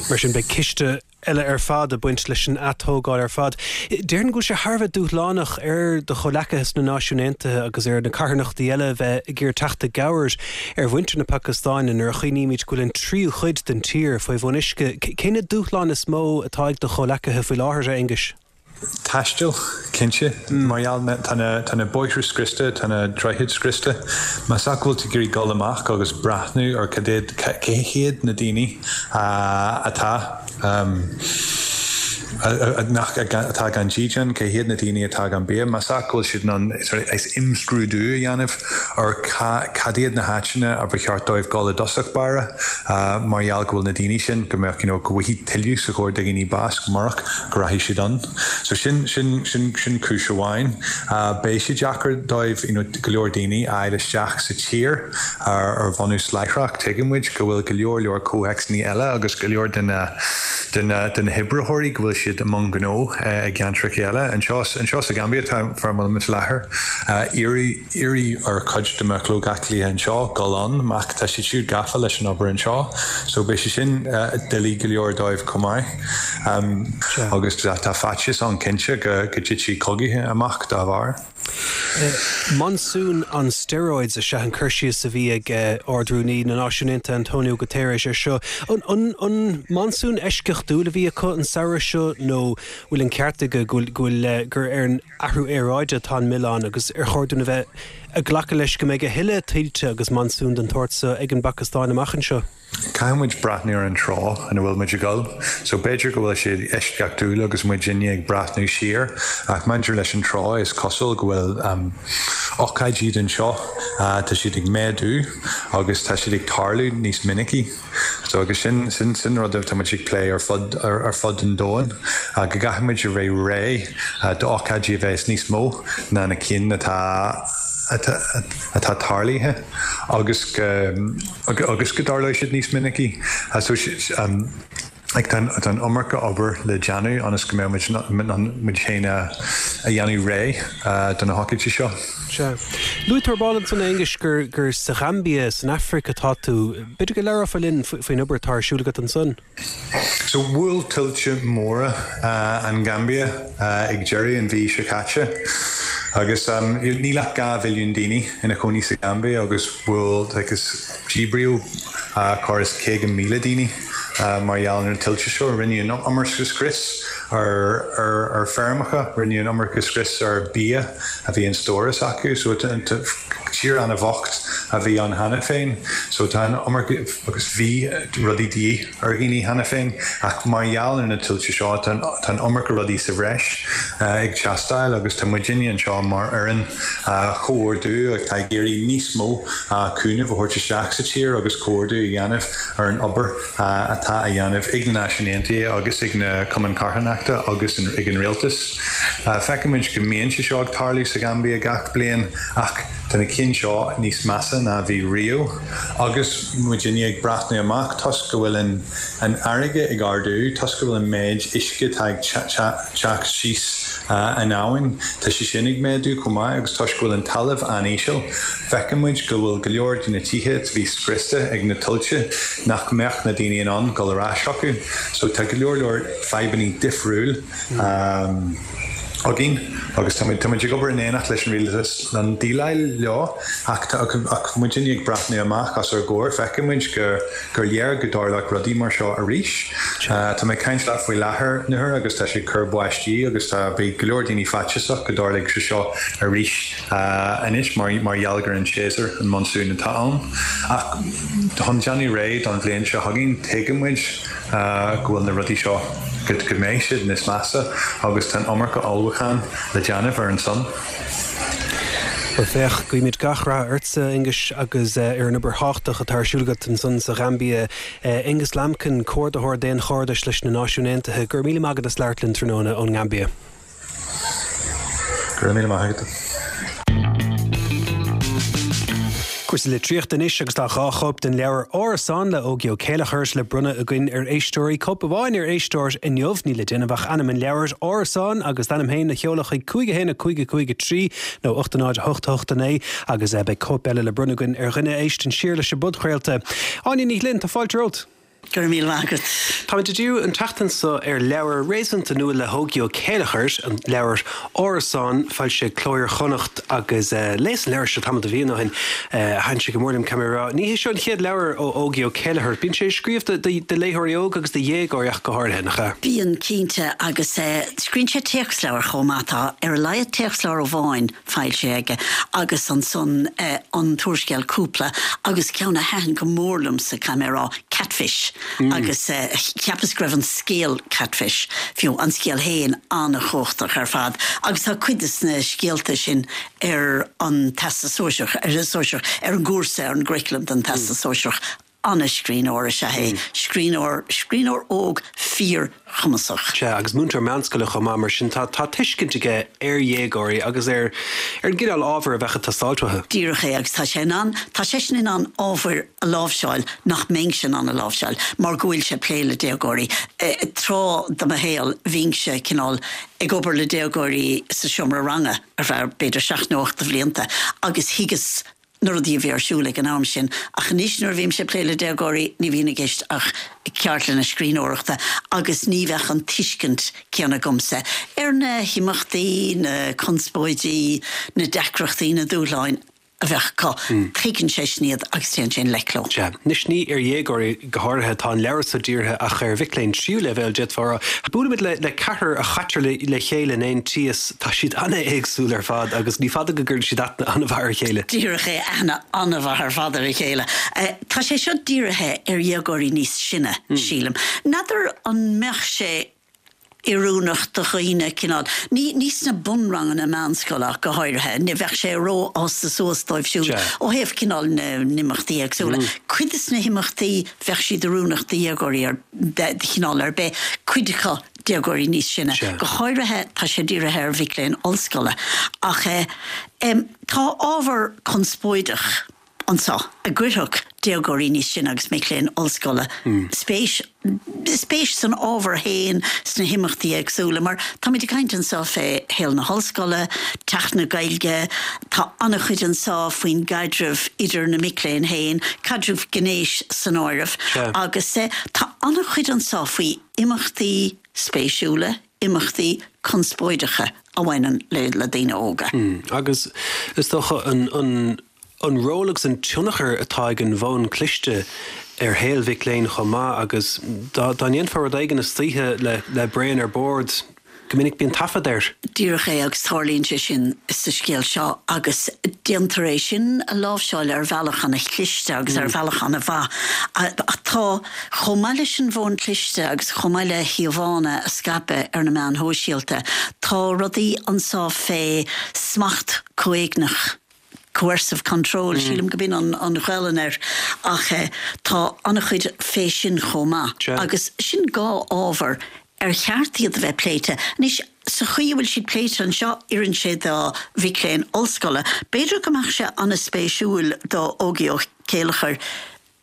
Mar sin beidh ciste eile ar fad ag baint leis an atógáil ar fad. Déarfainn go bhfuil sé thar a bheith dúshlánach ar do chomhghleacaithe sna Náisiúin Aontaithe agus ar na carthanachtaí eile bheith ag iarraidh teacht i gcabhair ar mhuintir na Pacastáine nuair a chuimhnímid go bhfuil an tríú chuid den tír faoi bhun uisce. Cé na dúshláin is mó atá ag do chomhghleacaithe faoi láthair a Aonghuis? Taisteal cinnte mar gheall tá na bóithre scriosta tá na droichid scriosta Más ea go bhfuil tú ag iarraidh dul amach agus breathnú ar cad cé hiad na daoine atá nach atá gan dídean cé hiad na daoine atá gan bia, Más ea go bhfuil siad an is imscrúdú a dhéanamh ar cad iad na háiteanna a ba cheart dóibh dul i dtosach báire mar gheall go bhfuil na daoine sin go mbeadh you know, go bhfuil tuilleadh sa chóir de dhaoine bás murach go rachaidh siad ann. So sin sin sin sin cúis amháin. Beidh sé deacair dóibh you know, go leor daoine a fháil isteach sa tír ar ar bhunús láithreach tuigimid go bhfuil go leor leor comhthéacsanna eile agus go leor de na de na de na hoibritheoirí go bhfuil siad i mbun gnó i gceantracha eile. Anseo anseo sa Gambia tá farmil láthair iarraidh iarraidh ar chuid de mo chomhghleacaithe anseo dul ann ach tá siad siúd gafa leis an obair anseo, so beidh sé sin doiligh go leor dóibh chomh maith. Um, agus tá faitíos ann cinnte go go dtitfidh cogaithe amach dá bharr. Monsoon on steroids is ea an cur síos a bhí ag Ard-Rúnaí na Náisiún Aontaithe Antonio Guterres ar seo. An, an, an monsún eisceachtúil a bhí acu an samhradh seo nó bhfuil an ceart aige go bhfuil gur ar an athrú aeráide atá an milleán agus ar chóir dúinn a bheith ag glacadh leis go mbeidh a thuilleadh tuilte agus monsún den tsórt seo ag an bPacastáin amach anseo. Caithfimid breathnú ar an treo ina bhfuil muid ag dul, so b'fhéidir go bhfuil sé eisceachtúil agus muid inné ag breathnú siar ach maidir leis an treo is cosúil go bhfuil um, ócáidí den seo uh, tá siad ag méadú agus tá siad ag tarlú níos minicí. So agus sin sin sin rud tá muid ag plé ar fud ar, ar fud an domhain uh, go gcaithfimid a bheith réidh uh, d'ócáidí a bheas níos mó ná na cinn atá atá tarlaithe agus go agus go dtarlóidh siad níos minicí. So um, Like, tá an iomarca obair le déanamh ionas go mbeidh muid féin a dhéanamh réidh do na hócáidí seo. Sea. Luaigh tú ar ball ansan, a Aonghuis, gur gur sa Ghaimbia san Afraic atá tú. B'fhéidir go labhrófá linn faoin obair atá ar siúl agat ansan? So bhuail tuilte móra an Ghaimbia ag deireadh an mhí seo caite agus níl ach dhá mhilliún daoine ina chónaí sa Ghaimbia agus bhuail agus díbríodh corradh is caoga míle daoine mar gheall ar na tuilte seo. Rinneadh an iomarca scrios ar feirmeacha, rinneadh an iomarca scrios ar bia a bhí in stóras acu. So tír an-bhocht a bhí ann cheana féin. So tá an iomarca agus bhí rudaí de dhíth ar dhaoine cheana féin ach mar gheall ar na tuilte seo tá an iomarca rudaí sa bhreis ag teastáil agus tá muidinne anseo mar fhoireann chomhordú atá ag iarraidh níos mó cúnamh a thabhairt isteach sa tír agus comhordú a dhéanamh ar an obair atá á dhéanamh ag na Náisiúin Aontaithe agus ag na Cumainn Carthanachta agus ag an rialtas. Feicimid go mbíonn sé seo ag tarlú sa Ghaimbia gach bliain ach tá na cinn seo níos measa ná a bhí riamh agus muidinne ag breathnú amach toisc go bhfuil an an fharraige ag ardú, toisc go bhfuil an méid uisce atá ag teacht síos an abhainn, tá sé sin ag méadú chomh maith agus toisc go bhfuil an talamh an-íseal, feicimid go bhfuil go leor de na tithe a bhí scriosta ag na tuilte nach mbeadh na daoine in ann dul ar ais chucu. So tá go leor leor fadhbanna difriúil againn agus táimid táimid ag obair in éineacht leis an rialtas le déileáil leo ach tá ach muidinne ag breathnú amach os ár gcomhair feicimid gur gur léir go dtarlódh rudaí mar seo arís. Tá mé ag caint leat faoi láthair Nuair agus tá sé ag cur báistí agus tá beidh go leor daoine faitíosach go dtarlóidh sé seo arís anois mar mar gheall gur an séasúr an monsún atá ann. Ach chun déanamh réidh don bhliain seo chugainn tuigimid go bhfuil na rudaí seo go go mbeidh siad níos measa agus tá an iomarca ullmhúchán le déanamh ar an son. Bhuel féach, guímid gach rath ortsa, Aonghus, agus ar an obair thábhachtach atá ar siúl agat ansan sa Ghaimbia. Aonghus Lambkin, Comhordaitheoir Daonchairdis leis na Náisiúin Aontaithe, go raibh míle maith agat as labhairt linn tráthnóna ón nGaimbia. Go raibh míle maith agat. Cúrsaí litríochta anois agus tá dhá chóip den leabhar Árasán le Ógie Ó Céilleachair le bronnadh againn ar éisteoirí. Cóip amháin ar éisteoir inniu, níl le déanamh ach ainm an leabhair Árasán agus d'ainm féin a sheoladh chuig cúig a haon a cúig a cúig a trí nó ocht a náid a hocht a hocht a naoi agus beidh cóip eile le bronnadh againn ar dhuine a éisteann siar leis an bpodchraolta. Áine Ní Ghlinn, tá fáilte romhat. Go raibh míle maith agat. Táimid ag díriú an tseachtain seo ar leabhar réasúnta nua le hÓgie Ó Céilleachair, an leabhar Árasán, foilsithe ag Cló Iar-Chonnacht agus léas an leabhar seo tamall de mhíonna ó shin. Thaitin sé go mór liom, caithfidh mé a rá. Ní hé seo an chéad leabhar ó Ógie Ó Céilleachair. Bíonn sé ag scríobh do léitheoirí óga agus do dhéagóirí ach go háirithe, nach ea? Bíonn, cinnte, agus scríobhann sé téacsleabhair chomh maith. Tá ar a laghad téacsleabhar amháin foilsithe aige agus ansan an t-úrscéal Cúpla agus ceann a thaitin go mór liomsa, caithfidh mé a rá, Catfish. Agus cheapas go raibh an scéal Catfish, fiú an scéal féin, an-chumhachtach ar fad. Agus tá cuid de na scéalta sin ar an Teastas Sóisearach, ar an Sóisearach, ar an gcúrsa, ar an gcurriculum don Teastas Sóisearach. An-scríbhneoir is ea é. Scríbhneoir, scríbhneoir óg fíorchumasach. Sea, agus múinteoir meánscoile chomh maith, mar sin tá tá tuiscint aige ar dhéagóirí agus ar ar an gcineál ábhair a bheadh ag teastáilt uathu. Díreach é, agus tá sé in ann, tá seisean in ann ábhair a láimhseáil nach mbeinnse in ann a láimhseáil mar go bhfuil sé ag plé le déagóirí. Tráth de mo shaol bhínnse cineál ag obair le déagóirí sa seomra ranga ar feadh b'fhéidir seacht nó ocht de bhlianta agus thuigeas na rudaí a bhí ar siúl ag an am sin. Ach anois nuair a bhímse ag plé le déagóirí ní bhíonn i gceist ach ceardlanna scríbhneoireachta agus ní bheadh an tuiscint céanna agamsa ar na himeachtaí, na conspóidí, na deacrachtaí, na dúshláin a bheadh acu. Tuigeann seisean iad agus téann sé i ngleic leo. Sea. Anois ní ar dhéagóirí go háirithe atá an leabhar seo dírithe ach ar mhic léinn tríú leibhéal, d'fhéadfá a rá. Buailimid le le ceathrar a chaitear le le chéile in aon tíos. Tá siad an-éagsúil ar fad agus ní fada go gcuireann siad aithne an-mhaith ar a chéile. Díreach é, aithne an-mhaith ar fad ar a chéile. Tá sé seo dírithe ar dhéagóirí níos sine, sílim. N'fheadar an mbeadh sé oiriúnach do dhaoine, cineál, ní, ní sna bunranganna meánscoile ach go háirithe, ní bheadh sé ró-fhásta suas dóibh siúd ó thaobh cineál na n-imeachtaí éagsúla. Cuid de na himeachtaí, bheadh siad oiriúnach do dhéagóirí ar, de chineál ar bith, cuid acu déagóirí níos sine. Go háirithe, tá sé dírithe ar mhic léinn ollscoile. Ach eh, em, tá ábhar conspóideach. anseo a gcuirfeadh déagóirí níos sine agus mic léinn ollscoile spéis spéis san ábhar féin sna himeachtaí éagsúla mar táimid ag caint anseo fé shaol na hollscoile, teacht na Gaeilge, tá an-chuid anseo faoin gcaidreamh idir na mic léinn féin, caidreamh gnéis san áireamh agus tá an-chuid anseo faoi imeachtaí spéisiúla, imeachtaí conspóideacha a bhaineann le le daoine óga. Agus is dócha an an an ról agus an tionchar atá ag an bhfón cliste ar shaol mhic léinn chomh maith agus dá dá ndéanfá rud éigin istoíche le le braon ar bord, go minic bíonn taifead air. Díreach é agus tarlaíonn sé sin sa scéal seo agus déantar é sin a láimhseáil ar bhealach an-chliste agus ar bhealach an-mhaith. Ach tá, chomh maith leis an bhfón cliste agus chomh maith le híomhánna a scaipeadh ar na meáin shóisialta, tá rudaí anseo fé smacht comhéigneach, coercive control, sílim go b'in an an Ghaelainn air, ach tá an-chuid fé sin chomh maith. Agus sin dhá ábhar ar cheart iad a bheith pléite. Anois, sa chaoi a bhfuil siad pléite anseo, oireann sé do mhic léinn ollscoile. B'fhéidir go mbeadh sé an-spéisiúil do Ógie Ó Céilleachair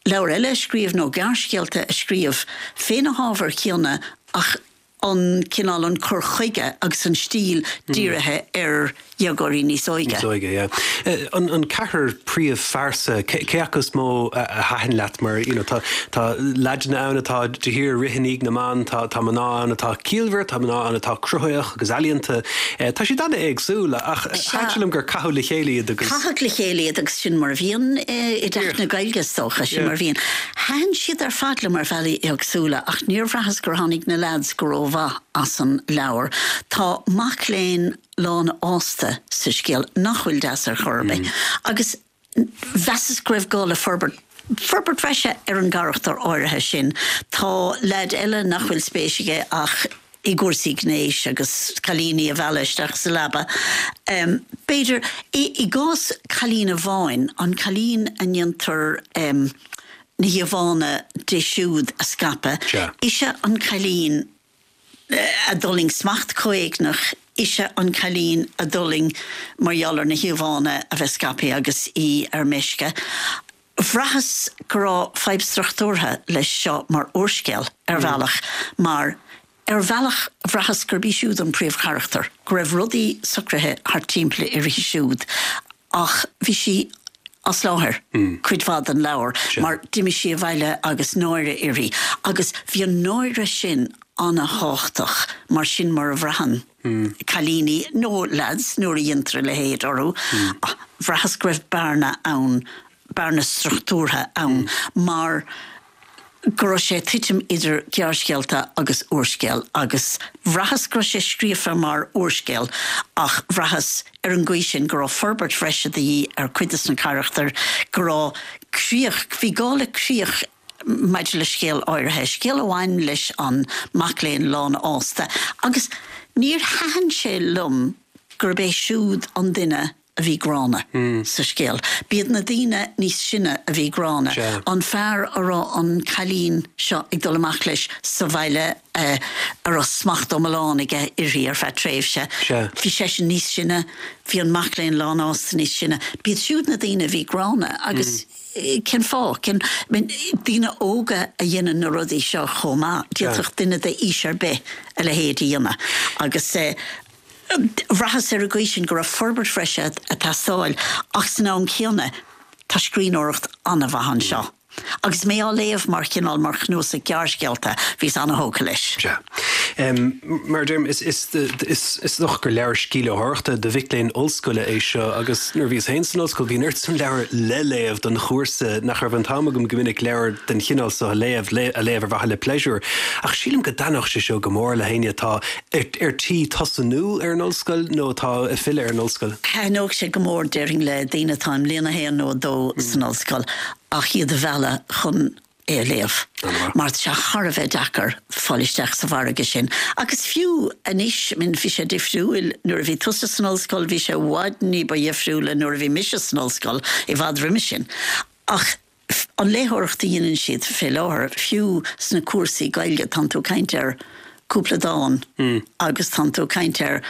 leabhar eile a scríobh nó gearrscéalta a scríobh fé na hábhair chéanna ach an cineál, an cur chuige agus an stíl dírithe ar dhéagóirí níos óige. Níos óige, yeah. An an ceathrar príomhphearsa, cé acu is mó a thaitin leat mar, you know, tá tá leaideanna ann atá de shíor ag rith i ndiaidh na mban, tá tá mná ann atá ciallmhar, tá mná ann atá cruthaitheach agus ealaíonta. Tá siad an-éagsúil ach thaitin sé liom gur caitheadh le chéile iad agus. Caitheadh le chéile iad agus sin mar a bhíonn i dTeach na Gaeilge is dócha, sin mar a bhíonn. Thaitin siad ar fad liom ar bhealaí éagsúla ach níor bhraitheas gur tháinig na leaids go rómhaith as an leabhar. Tá mac léinn lánfhásta sa scéal nach bhfuil deas ar chor ar bith agus mheasas go raibh gá le forbairt forbairt bhreise ar an gcarachtar áirithe sin. Tá leaid eile nach bhfuil spéis aige ach i gcúrsaí gnéis agus cailíní a mhealladh isteach sa leaba. B'fhéidir, i gcás cailín amháin, an cailín a ndéantar na híomhánna di siúd a scaipeadh, ise an cailín a d'fhulaing smacht comhéigneach, ise an cailín a d'fhulaing mar gheall ar na híomhánna a bheith scaipthe agus í ar meisce. Bhraitheas go raibh fadhb struchtúrtha leis seo mar úrscéal, ar bhealach, mar ar bhealach bhraitheas gurb í siúd an príomhcharachtar, go raibh rudaí socraithe thart timpeall uirthi siúd ach bhí sí as láthair cuid mhaith den leabhar mar d'imigh sí abhaile agus náire uirthi agus bhí an náire sin an-tábhachtach mar sin mar a bhraitheann cailíní nó leaids nuair a dhéantar a leithéid orthu. Bhraitheas go raibh bearna ann, bearna struchtúrtha ann mar go raibh sé ag titim idir gearrscéalta agus úrscéal agus bhraitheas go raibh sé scríofa mar úrscéal ach bhraitheas ar an gcaoi sin go raibh forbairt bhreise de dhíth ar chuid de na carachtair, go raibh críoch, bhí gá le críoch maidir le scéal áirithe, scéal a bhain leis an mac léinn lánfhásta agus níor thaitin sé liom gurb é siúd an duine a bhí gránna sa scéal. B'iad na daoine níos sine a bhí gránna, an fear a raibh an cailín seo ag dul amach leis sa bhaile a raibh smacht iomlán aige uirthi ar feadh tréimhse, bhí seisean níos sine, bhí an mac léinn lánfhásta níos sine. B'iad siúd na daoine a bhí gránna agus cén fáth? Cén, daoine óga a dhéanann na rudaí seo chomh maith, d'fhéadfadh duine d'aois ar bith a leithéid a dhéanamh agus. Bhraitheas ar an gcaoi sin go raibh forbairt bhreise ag teastáil ach san am céanna tá scríbhneoireacht an-mhaith anseo. Agus mé á léamh mar chineál, mar chnuasach gearrscéalta, bhíos an-thógtha leis. Sea. Mar a deirim, is is dócha gur leabhar scíthléitheoireachta do mhic léinn ollscoile é seo agus nuair a bhíos féin san ollscoil bhí an oiread san leabhar le léamh don chúrsa nach raibh an t-am agam go minic leabhar den chineál seo a léamh, a léamh ar mhaithe le pléisiúr. Ach sílim go dtaitneodh sé seo go mór le héinne atá ar tí tosnú ar an ollscoil nó atá ag filleadh ar an ollscoil. Thaitneodh sé go mór, déarfainn, le daoine atá i mbliain a haon nó a dó san ollscoil ach iad a mhealladh chun é a léamh mar tá sé thar a bheith deacair fáil isteach sa mhargadh sin. Agus fiú anois, I mean, bhí sé difriúil nuair a bhí tusa san ollscoil, bhí sé i bhfad ní ba dhifriúla nuair a bhí mise san ollscoil, i bhfad roimhe sin. Ach an léitheoireacht a dhéanann siad fé láthair, fiú sna cúrsaí Gaeilge, tánn tú ag caint ar cúpla dán agus tánn tú ag caint ar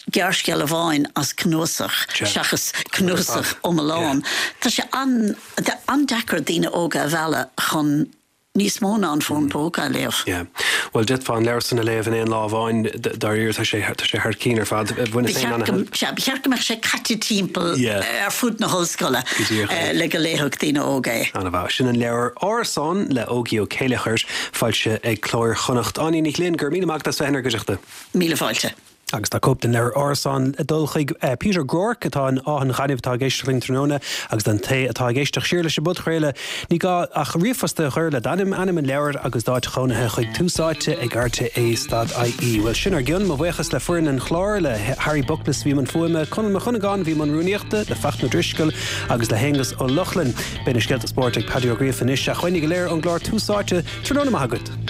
gearrscéal amháin as cnuasach seachas cnuasach iomlán. Tá sé an-deacair daoine óga a mhealladh chun níos mó ná an fón póca a léamh. Yeah. Bhuel d'fhéadfá an leabhar san a léamh in aon lá amháin dáiríre tá sé tá sé thar cinn ar fad. Ba cheart go mbeadh sé caite timpeall ar fud na hollscoile le go léifeadh daoine óga é. Ana-mhaith. Sin an leabhar Árasán le Ógie Ó Céilleachair, foilsithe ag Cló Iar-Chonnacht. Áine Ní Ghlinn, go raibh míle maith agat as bheith inár gcuideachta. Míle fáilte. Agus tá cóip den leabhar Árasán ag dul chuig Peter Groarke atá in Áth an Ghainimh atá ag éisteacht linn tráthnóna agus don té atá ag éisteacht siar leis an bpodchraoladh ní gá ach ríomhphost a chur le d'ainm, ainm an leabhair agus d'áit chónaithe chuig Tús Áite ag rte stad ie. Bhuel sin ár gcionn, mo bhuíochas le foireann an chláir, le Harry Buckles a bhí i mbun fuaime, Conall Mac Cuinneagáin a bhí i mbun rúnaíochta, le Fachtna Drisceoil agus le hAonghus Ó Lochlainn. Beidh na scéalta spóirt ag Paddy Ó Gríofa anois ach uainne go léir ón gclár Tús Áite, tráthnóna maith agat.